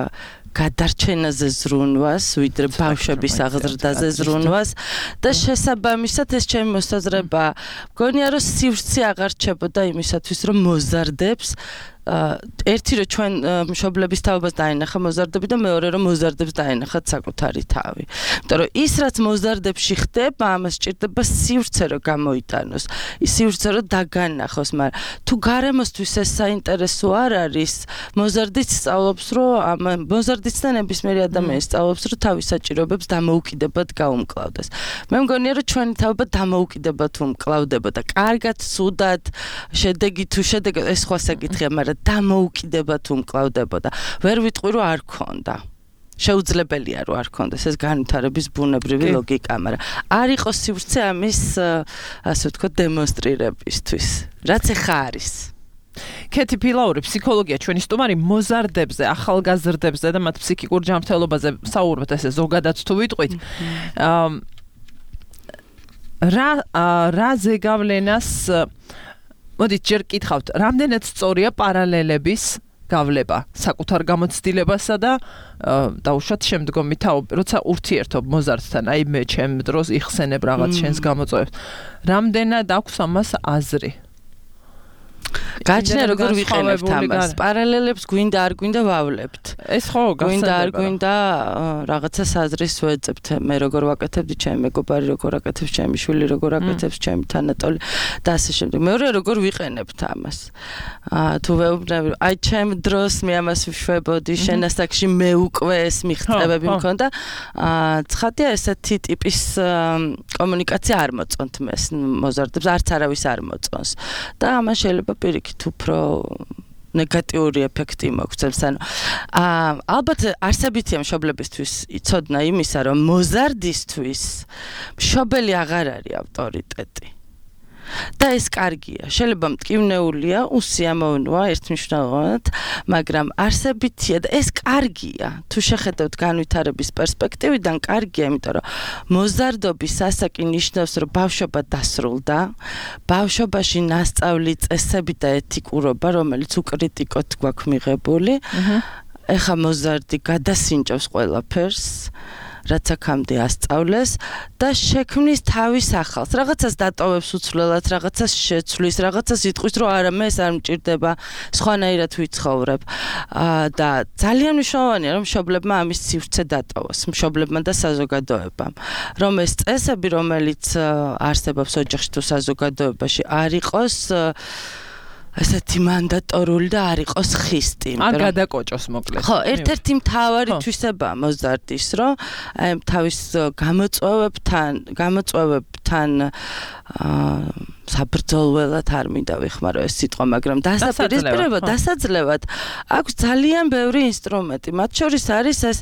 გადარჩენაზე ზრუნვას, ვიდრე ბავშვების აღზრდაზე ზრუნვას და შესაბამისად ეს ჩემი მოსაზრება მგონია რომ სივრცე აღარ რჩებოდა იმისათვის რომ მოზარდებს ერთი რომ ჩვენ მშობლების თაობას დაინახა მოზარდები და მეორე რომ მოზარდებს დაინახათ საკუთარი თავი. იმიტომ რომ ის რაც მოზარდებში ხდება, ამას სჭირდება სივრცე რომ გამოიტანოს, ის სივრცე რომ დაგანახოს, მაგრამ თუ გარემოსთვის ეს საინტერესო არ არის, მოზარდიც სწავლობს რომ ამ მოზარდიც და ნებისმიერი ადამიანი სწავლობს რომ თავის საჭიროებებს დამოუკიდებად გაუმკლავდეს. მე მგონია რომ ჩვენი თაობა დამოუკიდებად უმკლავდებოდა. კარგად, ცუდად, შედეგი თუ შედეგი ეს სხვა საკითხია, მაგრამ დამოუკიდებად უმკლავდებოდა. ვერ ვიტყვი რომ არ ქონდა. შეუძლებელია რომ არ ქონდეს ეს განვითარების ბუნებრივი ლოგიკა, მაგრამ არ იყოს სივრცე ამის ასე ვთქვათ დემონსტრირებისთვის. რაც ეხა არის. კეთი ფილაური, ფსიქოლოგია, ჩვენი სტუმარი მოზარდებზე, ახალგაზრდებზე და მათ ფსიქიკურ ჯანმრთელობაზე საუბრობთ, ესე ზოგადად თუ ვიტყვით. რა რა ზეგავლენას მოდით ჯერ კითხავთ, რამდენად სწორია პარალელების გავლება საკუთარ გამოცდილებასა და დაუშვათ შემდგომი თაობი, როცა ურთიერთობ მოზარდთან, აი მე ჩემ დროს იხსენებ რაღაც შენს გამოწვევებს. რამდენად აქვს ამას აზრი? გაჩნია როგორ ვიყენებთ ამას. პარალელებს გვინდა არ გვინდა ვავლებთ. ეს ხო გვინდა არ გვინდა რაღაცა საზრის ვეძებთ. მე როგორ ვაკეთებდი, ჩემი მეგობარი როგორ აკეთებს, ჩემი შვილი როგორ აკეთებს, ჩემი თანატოლი და ასე შემდეგ. მეორე როგორ ვიყენებთ ამას. აა თუ ვეუბნები, აი ჩემ დროს მე ამას ვშვებოდი, შენ ასაკში მე უკვე ეს მიღწევები მქონდა. აა ცხადია ესეთი ტიპის კომუნიკაცია არ მოწონთ მეს მოზარდებს, არც არავის არ მოწონს. და ამან შეიძლება პირიქით უფრო ნეგატიური ეფექტი მოგცემს. ანუ აა ალბათ არსებითია მშობლებისთვის იცოდნა იმისა, რომ მოზარდისთვის მშობელი აღარ არის ავტორიტეტი. და ეს კარგია. შეიძლება მტკივნეულია, უსიამოვნოა ერთმნიშვნელოვნად, მაგრამ არსებითია და ეს კარგია. თუ შეხედავთ განვითარების პერსპექტივიდან, კარგია, იმიტომ რომ მოზარდობის ასაკი ნიშნავს, რომ ბავშვობა დასრულდა, ბავშვობაში ნასწავლი წესები და ეთიკურობა, რომელიც უკრიტიკოდ გვაქვს მიღებული, ეხა მოზარდი გადასინჯავს ყველაფერს. რაც აქამდე ასწავლეს და შექმნის თავის ახალს. რაღაცას დატოვებს უცვლელად, რაღაცას შეცვლის, რაღაცას იტყვის, რომ არა, მე ეს არ მჭირდება, სხვანაირად ვიცხოვრებ. და ძალიან მნიშვნელოვანია, რომ მშობლებმა ამის სივრცე დატოვოს, მშობლებმა და საზოგადოებამ. რომ ეს წესები, რომელიც არსებობს ოჯახში თუ საზოგადოებაში, არ იყოს ასეთი მანდატორული და არ იყოს ხისტი. ან გადაკოჭოს მოკლედ. ხო, ერთ-ერთი მთავარი თვისებაა მოზარდის, რომ აი თავის გამოწვევებთან, გამოწვევებთან აა საბრძოლველად არ მინდა ვიხმარო ეს სიტყვა, მაგრამ დასაპირისპირებლად, დასაძლევად აქვს ძალიან ბევრი ინსტრუმენტი. მათ შორის არის ეს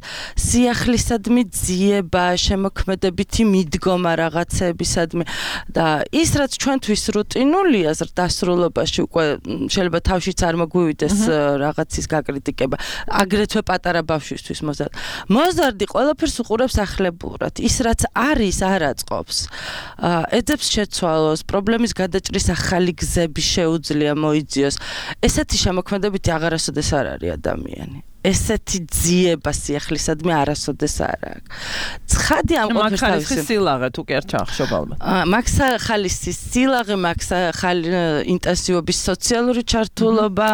სიახლისადმი ძიება, შემოქმედებითი მიდგომა რაღაცეებისადმი და ის რაც ჩვენთვის რუტინულია ზრდასრულობაში უკვე შეიძლება თავშიც არ მოგვივიდეს რაღაცის გაკრიტიკება, აგრეთვე პატარა ბავშვისთვის მოზარდი. მოზარდი ყველაფერს უყურებს ახლებურად. ის რაც არის არ აწყობს. ეძებს შეცვალოს, პრობლემის გადაჭრის ახალი გზები შეუძლია მოიძიოს. ესეთი შემოქმედებითი აღარასოდეს არ არის ადამიანი. ესეთი ძიება სიახლისადმი არასოდეს არ აქვს. ცხადი ამ ყოფნის თავისი სილაღე თუ კი არ ჩახშობალმა. მაქსა ხალისის სილაღე, მაქსა ხალი ინტენსივობის სოციალური ჩართულობა,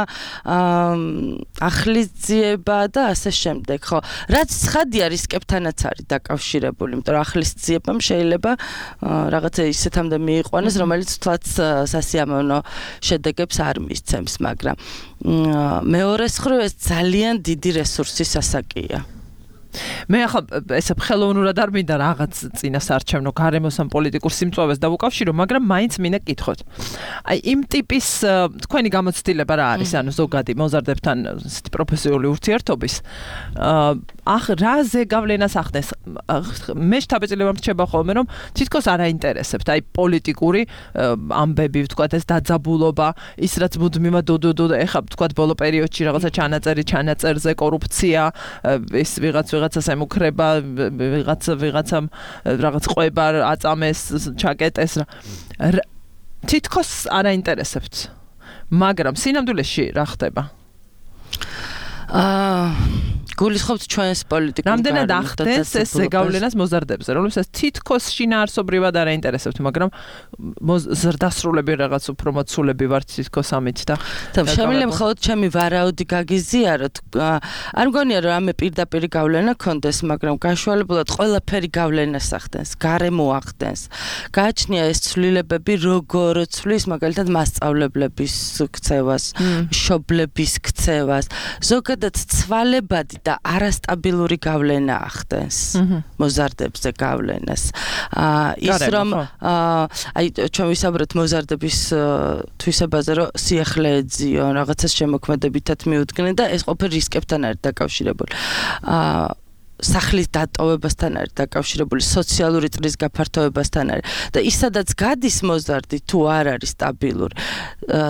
ახლის ძიება და ასე შემდეგ, ხო. რაც ცხადია რისკებთანაც არის დაკავშირებული, იმიტომ რომ ახლის ძიებამ შეიძლება რაღაცა ისეთამდე მიიყვანოს, რომელიც თვაც სასიამოვნო შედეგებს არ მისცემს, მაგრამ მეორე მხრივ ეს ძალიან დიდი რესურსის ასაკია. მე ახლა ესე ხელოვნურად არ მინდა რაღაც წინასარჩევნო გარემოს ან პოლიტიკურ სიმწვავეს დავუკავშირო, მაგრამ მაინც მინდა კითხოთ. აი იმ ტიპის თქვენი გამოცდილება რა არის, ანუ ზოგადი მოზარდებთან პროფესიული ურთიერთობის ახ რა ზეგავლენას ახდენს? მე შთაბეჭდილება მრჩება ხოლმე, რომ თითქოს არ აინტერესებთ აი პოლიტიკური ამბები, ვთქვათ ეს დაძაბულობა, ის რაც მუდმივად დოდოდო ეხა ვთქვათ ბოლო პერიოდში რაღაცა ჩანაწერი, ჩანაწერზე კორუფცია, ეს ვიღაც ვიღაცას ემუქრება, ვიღაც ვიღაცამ რაღაც ყვება აწამეს, ჩაკეტეს რა. თითქოს არ აინტერესებთ. მაგრამ სინამდვილეში რა ხდება? აა გულისხმობთ ჩვენს პოლიტიკურ რამდენად ახდენს ეს ზეგავლენას მოზარდებზე, რომელსაც თითქოს შინაარსობრივად არ აინტერესებთ, მაგრამ ზრდასრულები რაღაც უფრო მოცულები ვართ თითქოს ამით და შემიძლია მხოლოდ ჩემი ვარაუდი გაგიზიაროთ. არ მგონია რომ ამე პირდაპირ გავლენა ქონდეს, მაგრამ გაშუალებულად ყველაფერი გავლენას ახდენს, გარემო ახდენს. გააჩნია ეს ცვლილებები როგორ ცვლის მაგალითად მასწავლებლების ქცევას, მშობლების ქცევას, ზოგადად ცვალებადი და არასტაბილური გავლენა ახდენს მოზარდებზე გავლენას. ის რომ აი ჩვენ ვისაუბრეთ მოზარდების თვისებაზე, რომ სიახლე ეძიო, რაღაცას შემოქმედებითად მიუდგნენ და ეს ყოფილი რისკებთან არის დაკავშირებული. სახლის დატოვებასთან არის დაკავშირებული, სოციალური წრის გაფართოებასთან არის და ის სადაც გადის მოზარდი თუ არ არის სტაბილური,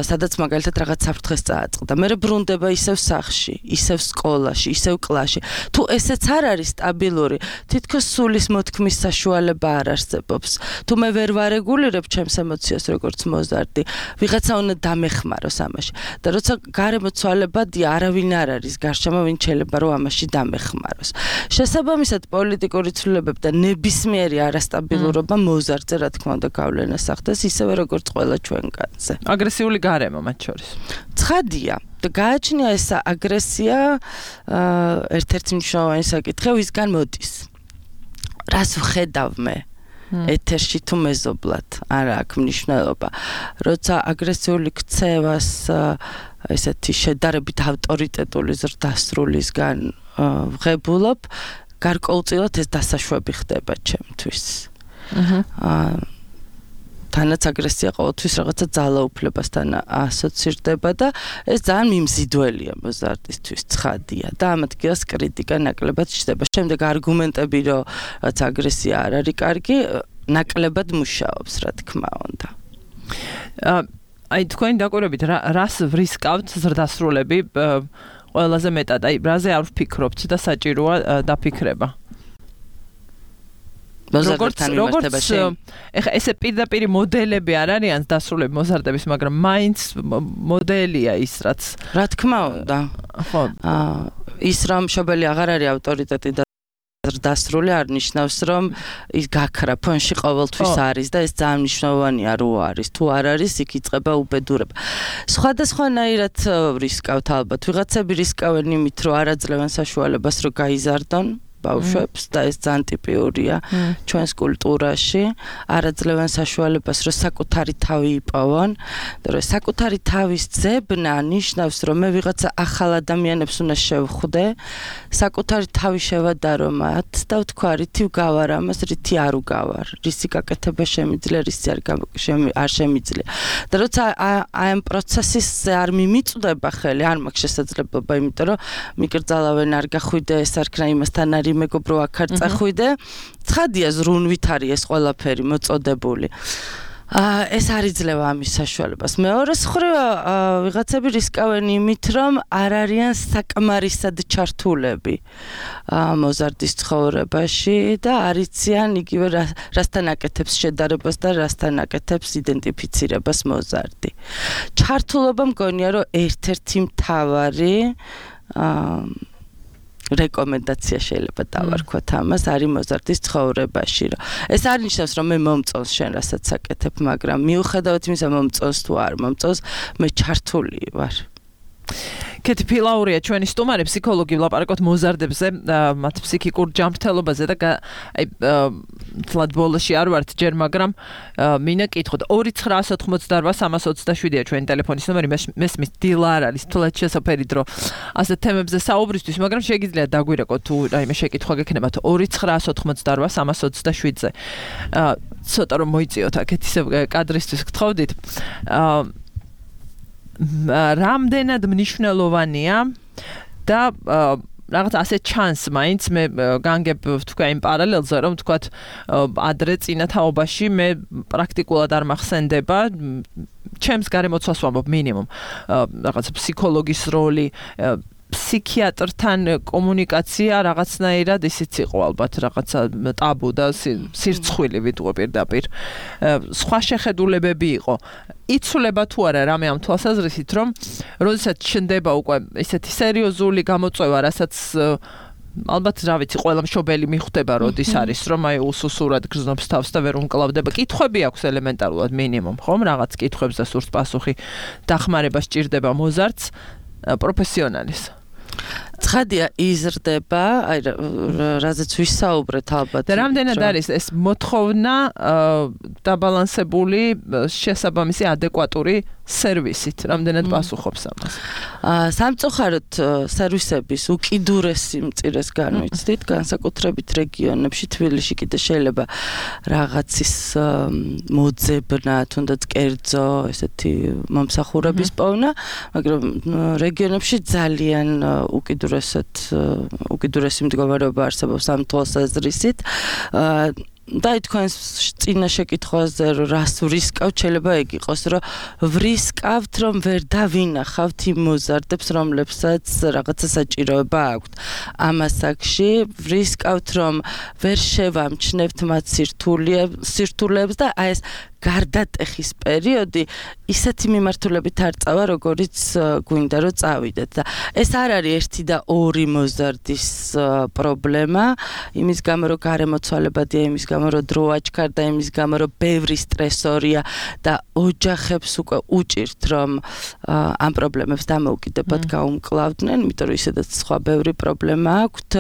სადაც მაგალითად რაღაც საფრთხეს წააწყდა, მერე ბრუნდება ისევ სახლში, ისევ სკოლაში, ისევ კლასში. თუ ესეც არ არის სტაბილური, თითქოს სულის მოთქმის საშუალება არ არსებობს. თუ მე ვერ ვარეგულირებ ჩემს ემოციას როგორც მოზარდი, ვიღაცა უნდა დამეხმაროს ამაში. და როცა გარემო ცვალებადია, არავინ არ არის გარშემო, ვინ შეიძლება რომ ამაში დამეხმაროს. შესაბამისად პოლიტიკური ცვლილებები და ნებისმიერი არასტაბილურობა მოზარდზე რა თქმა უნდა გავლენას ახდენს ისევე როგორც ყველა ჩვენგანზე. აგრესიული გარემო მათ შორის. ცხადია და გააჩნია ეს აგრესია ერთ-ერთი მნიშვნელოვანი საკითხი, ვისგან მოდის. რას ვხედავ მე? ეთერში თუ მეზობლად არ აქვს მნიშვნელობა. როცა აგრესიული ქცევას ესეთი შედარებით ავტორიტეტული ზრდასრულისგან ვღებულობ, გარკვეულწილად ეს დასაშვები ხდება ჩემთვის. აა თანაც აგრესია ყოველთვის რაღაცა ძალაუფლებასთან ასოცირდება და ეს ძალიან მიმზიდველია მოზარდისთვის, ცხადია და ამ ადგილას კრიტიკა ნაკლებად ჩნდება. შემდეგ არგუმენტები, რომ რაც აგრესია არ არის კარგი, ნაკლებად მუშაობს, რა თქმა უნდა. აი თქვენი დაკვირვებით რას ვრისკავთ ზრდასრულები ყველაზე მეტად, აი რაზე არ ვფიქრობთ და საჭიროა დაფიქრება. როგორც როგორც ეხა ესე პირდაპირ მოდელები არ არიან დასრულები მოზარდების, მაგრამ მაინც მოდელია ის რაც. რა თქმა უნდა. ხო. აა ის რომ მშობელი აღარ არის ავტორიტეტი და დასრული არ ნიშნავს რომ ის გაქრა ფონში ყოველთვის არის და ეს ძალიან მნიშვნელოვანია რო არის. თუ არ არის, იქ იწყება უბედურება. სხვადასხვანაირად რისკავთ ალბათ. ვიღაცები რისკავენ იმით, რომ არ აძლევენ საშუალებას რომ გაიზარდონ ბავშვებს და ეს ძალიან ტიპიურია ჩვენს კულტურაში. არ აძლევენ საშუალებას რომ საკუთარი თავი იპოვონ და რომ საკუთარი თავის ძებნა ნიშნავს რომ მე ვიღაცა ახალ ადამიანებს უნდა შევხვდე, საკუთარი თავი შევადარო მათ და ვთქვა რითი ვგავარ ამას, რითი არ ვგავარ, რისი გაკეთება შემიძლია, რისი არ არ შემიძლია. და როცა აი ამ პროცესის არ მიმიწვდება ხელი, არ მაქვს შესაძლებლობა, იმიტომ რომ მიკრძალავენ არ გახვიდე, ეს არქნა იმასთან არის მეგობრო აქ არ წახვიდე. ცხადია ზრუნვით არის ეს ყველაფერი მოწოდებული. აა ეს არ იძლევა ამის საშუალებას. მეორეს მხრივ ვიღაცები რისკავენ იმით, რომ არ არიან საკმარისად ჩართულები მოზარდის ცხოვრებაში და არ იციან იგივე რასთან აკეთებს შედარებას და რასთან აკეთებს იდენტიფიცირებას მოზარდი. ჩართულობა მგონია რომ ერთ-ერთი მთავარი აა რეკომენდაცია შეიძლება დავარქვათ ამას არის მოზარდის ცხოვრებაში, რომ ეს არ ნიშნავს რომ მე მომწონს შენ რასაც აკეთებ, მაგრამ მიუხედავად იმისა მომწონს თუ არ მომწონს, მე ჩართული ვარ. კეთი ფილაურია ჩვენი სტუმარი, ფსიქოლოგი, ვლაპარაკობთ მოზარდებზე, მათ ფსიქიკურ ჯანმრთელობაზე და აი თლად ბოლოში არ ვართ ჯერ, მაგრამ მინდა კითხოთ ორი ცხრა ოთხმოცდაოთხ სამას ოცდაშვიდია ჩვენი ტელეფონის ნომერი, მესმის დილა არ არის თლად შესაძფერი დრო ასეთ თემებზე საუბრისთვის, მაგრამ შეგიძლიათ დაგვირეკოთ თუ რაიმე შეკითხვა გექნებათ ორი ცხრა ოთხმოცდაოთხ სამას ოცდაშვიდზე. ცოტა რომ მოიწიოთ აქეთ ისე კადრისთვის გთხოვდით. რამდენად მნიშვნელოვანია და რაღაც ასე ჩანს მაინც მე განგებ თქვა იმ პარალელზე რომ თქვა ადრე წინა თაობაში მე პრაქტიკულად არ მახსენდება ჩემს გარემოცვას ვამბობ მინიმუმ რაღაც ფსიქოლოგის როლი ფსიქიატრთან კომუნიკაცია რაღაცნაირად ისიც იყო ალბათ რაღაცა ტაბუ და სირცხვილი ვიტყვი პირდაპირ. სხვა შეხედულებები იყო. იცვლება თუ არა რამე ამ თვალსაზრისით, რომ როდესაც ჩნდება უკვე ესეთი სერიოზული გამოწვევა, რასაც ალბათ რა ვიცი, ყველა მშობელი მიხვდება, როდის არის, რომ აი უსუსურად გრძნობს თავს და ვერ უმკლავდება. კითხვები აქვს ელემენტარულად მინიმუმ, ხომ? რაღაც კითხვებს და სურს პასუხი. დახმარება სჭირდება მოზარდს, პროფესიონალის. ცხადია იზრდება, აი რაზეც ვისაუბრეთ ალბათ. და რამდენად არის ეს მოთხოვნა დაბალანსებული, შესაბამისი ადეკვატური სერვისით, რამდენად პასუხობს ამას? სამწუხაროდ სერვისების უკიდურესი მწირეს განვიცდით, განსაკუთრებით რეგიონებში, თბილისში კიდე შეიძლება რაღაცის მოძებნა, თუნდაც კერძო, ესეთი მომსახურების პოვნა, მაგრამ რეგიონებში ძალიან უკიდურესად უკიდურესი მდგომარეობა არსებობს ამ თვალსაზრისით. და თქვენს წინა შეკითხვაზე რას ვრისკავთ, შეიძლება ეგ იყოს, რომ ვრისკავთ, რომ ვერ დავინახავთ იმ მოზარდებს, რომლებსაც რაღაცა საჭიროება აქვთ. ამ ასაკში ვრისკავთ, რომ ვერ შევამჩნევთ მათ სირთულეებს და აი ეს გარდატეხის პერიოდი ისეთი მიმართულებით არ წავა, როგორიც გვინდა რომ წავიდეთ. და ეს არ არის ერთი და ორი მოზარდის პრობლემა, იმის გამო რომ გარემოცვალებადია, იმის გამო რომ დრო აჩქარდა, იმის გამო რომ ბევრი სტრესორია და ოჯახებს უკვე უჭირთ, რომ ამ პრობლემებს დამოუკიდებად გაუმკლავდნენ, იმიტომ რომ ისედაც სხვა ბევრი პრობლემა აქვთ.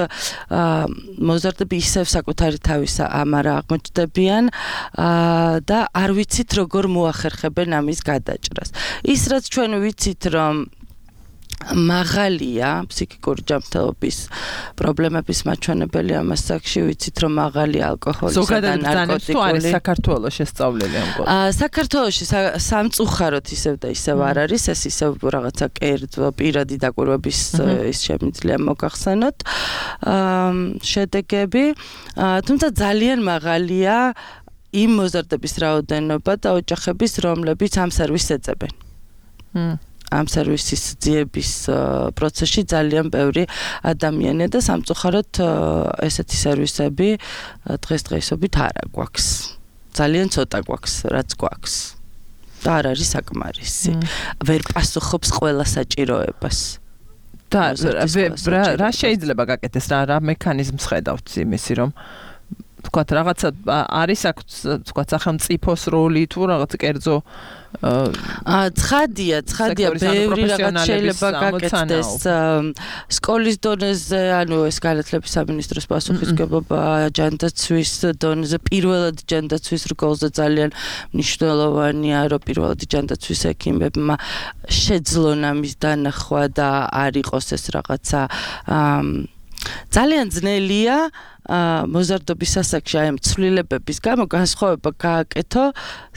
მოზარდები ისევ საკუთარი თავისა ამარა აღმოჩნდებიან და არ ვიცით როგორ მოახერხებენ ამის გადაჭრას. ის რაც ჩვენ ვიცით რომ მაღალია ფსიქიკური ჯანმრთელობის პრობლემების მაჩვენებელი ამ ასაკში, ვიცით რომ მაღალი ალკოჰოლისა და ნარკოტიკული. თუ არის საქართველოს შესწავლილი ამ კუთხით? აა საქართველოში სამწუხაროდ ისევ და ისევ არ არის, ეს ისევ რაღაცა კერძო პირადი დაკვირვების ის შემიძლია მოგახსენოთ აა შედეგები, თუმცა ძალიან მაღალია იმ მოზარდების რაოდენობა და ოჯახების, რომლებიც ამ სერვისს ეწევენ. ამ სერვისის ძიების პროცესში ძალიან ბევრი ადამიანია და სამწუხაროდ ესეთი სერვისები დღესდღეობით არ გვაქვს. ძალიან ცოტა გვაქვს, რაც გვაქვს. და არ არის საკმარისი. ვერ პასუხობს ყველა საჭიროებას. და რა შეიძლება გაკეთდეს, რა რა მექანიზმს ხედავთ იმისი, რომ თქვათ რაღაცა არის აქ თქვათ სახელმწიფოს როლი თუ რაღაც კერძო აა ცხადია, ცხადია ბევრი რაღაც შეიძლება გაკეთდეს სკოლის დონეზე, ანუ ეს განათლების სამინისტროს პასუხისმგებლობა ჯანდაცვის დონეზე, პირველად ჯანდაცვის რგოლზე ძალიან მნიშვნელოვანია, რომ პირველად ჯანდაცვის ექიმებმა შეძლონ ამის დანახვა და არ იყოს ეს რაღაცა ძალიან ძნელია მოზარდობის ასაკში აი ამ ცვლილებების გამო განსხვავება გააკეთო,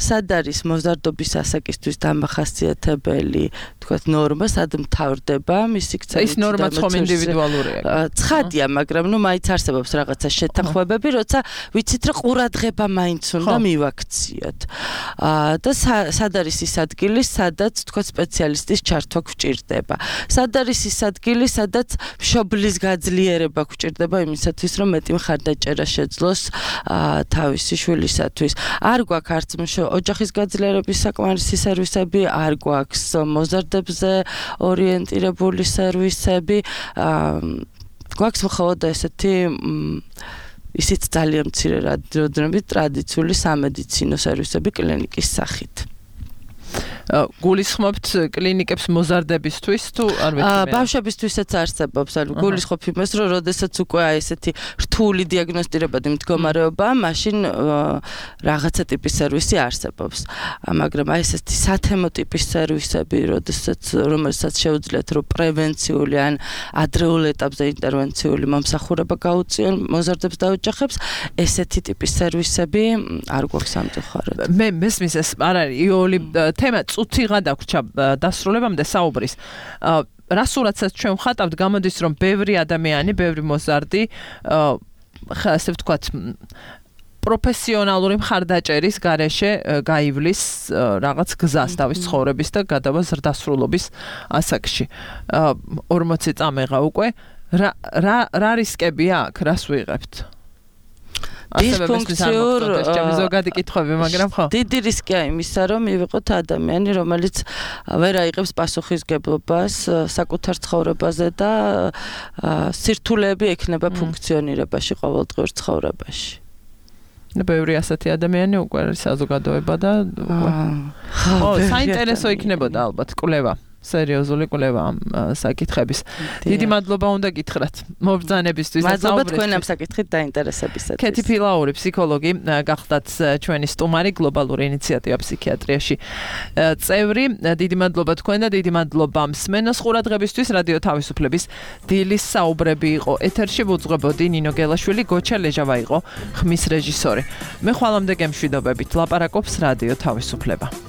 სად არის მოზარდობის ასაკისთვის დამახასიათებელი, თქვათ ნორმა, სად მთავრდება მისი ქცევით. ის ნორმა ხომ ინდივიდუალურია. ცხადია, მაგრამ ნუ მაინც არსებობს რაღაცა შეთანხმებები, როცა ვიცით რომ ყურადღება მაინც უნდა მივაქციოთ. და სად არის ის ადგილი, სადაც თქვათ სპეციალისტის ჩართვა გვჭირდება. სად არის ის ადგილი, სადაც მშობლის გაძლიერება გვჭირდება იმისათვის, რომ მეტი ხარდაჭერა შეძლოს თავისი შვილისათვის. არ გვაქვს არც ოჯახის გაძლიერების საკმარისი სერვისები, არ გვაქვს მოზარდებზე ორიენტირებული სერვისები. გვაქვს მხოლოდ ესეთი ისიც ძალიან მცირე რაოდენობით ტრადიციული სამედიცინო სერვისები კლინიკის სახით. გულისხმობთ კლინიკებს მოზარდებისთვის თუ არ ვეთქვი? ბავშვებისთვისაც არსებობს, ანუ გულისხმობ იმას, რომ როდესაც უკვე აი ესეთი რთული დიაგნოსტირებადი მდგომარეობაა, მაშინ რაღაცა ტიპის სერვისი არსებობს. მაგრამ აი ესეთი სათემო ტიპის სერვისები, როდესაც რომელსაც შეუძლიათ რომ პრევენციული ან ადრეულ ეტაპზე ინტერვენციული მომსახურება გაუწიონ მოზარდებს და ოჯახებს, ესეთი ტიპის სერვისები არ გვაქვს სამწუხაროდ. მე მესმის ეს არ არის იოლი თემა წუთიღა დაგვრჩა დასრულებამდე საუბრის. რასურათაც ჩვენ ვხატავთ, გამოდის რომ ბევრი ადამიანი, ბევრი მოზარდი, ასე ვთქვათ, პროფესიონალური მხარდაჭერის გარეშე გაივლის რაღაც გზას თავის ცხოვრების და გადავა ზრდასრულობის ასაკში. ორმოცი წამეღა უკვე რა რა რა რისკებია აქ, რას ვიღებთ? დისფუნქციურ ზოგადი კითხვები, მაგრამ ხო. დიდი რისკია იმისა, რომ მივიღოთ ადამიანი, რომელიც ვერ აიღებს პასუხისგებლობას საკუთარ ცხოვრებაზე და სირთულეები ექნება ფუნქციონირებაში ყოველდღიურ ცხოვრებაში. და ბევრი ასეთი ადამიანი უკვე არის საზოგადოება და უკვე. ხო, საინტერესო იქნებოდა ალბათ კვლევა. სერიოზული კვლევა ამ საკითხების. დიდი მადლობა უნდა გითხრათ მობრძანებისთვის და მადლობა თქვენ ამ საკითხით დაინტერესებისათვის. კეთი ფილაური, ფსიქოლოგი, გახდათ ჩვენი სტუმარი გლობალური ინიციატივა ფსიქიატრიაში წევრი. დიდი მადლობა თქვენ და დიდი მადლობა მსმენელს ყურადღებისთვის. რადიო თავისუფლების დილის საუბრები იყო ეთერში, ვუძღვებოდი ნინო გელაშვილი, გოჩა ლეჟავა იყო ხმის რეჟისორი. მე ხვალამდე გემშვიდობებით ლაპარაკობს რადიო თავისუფლება.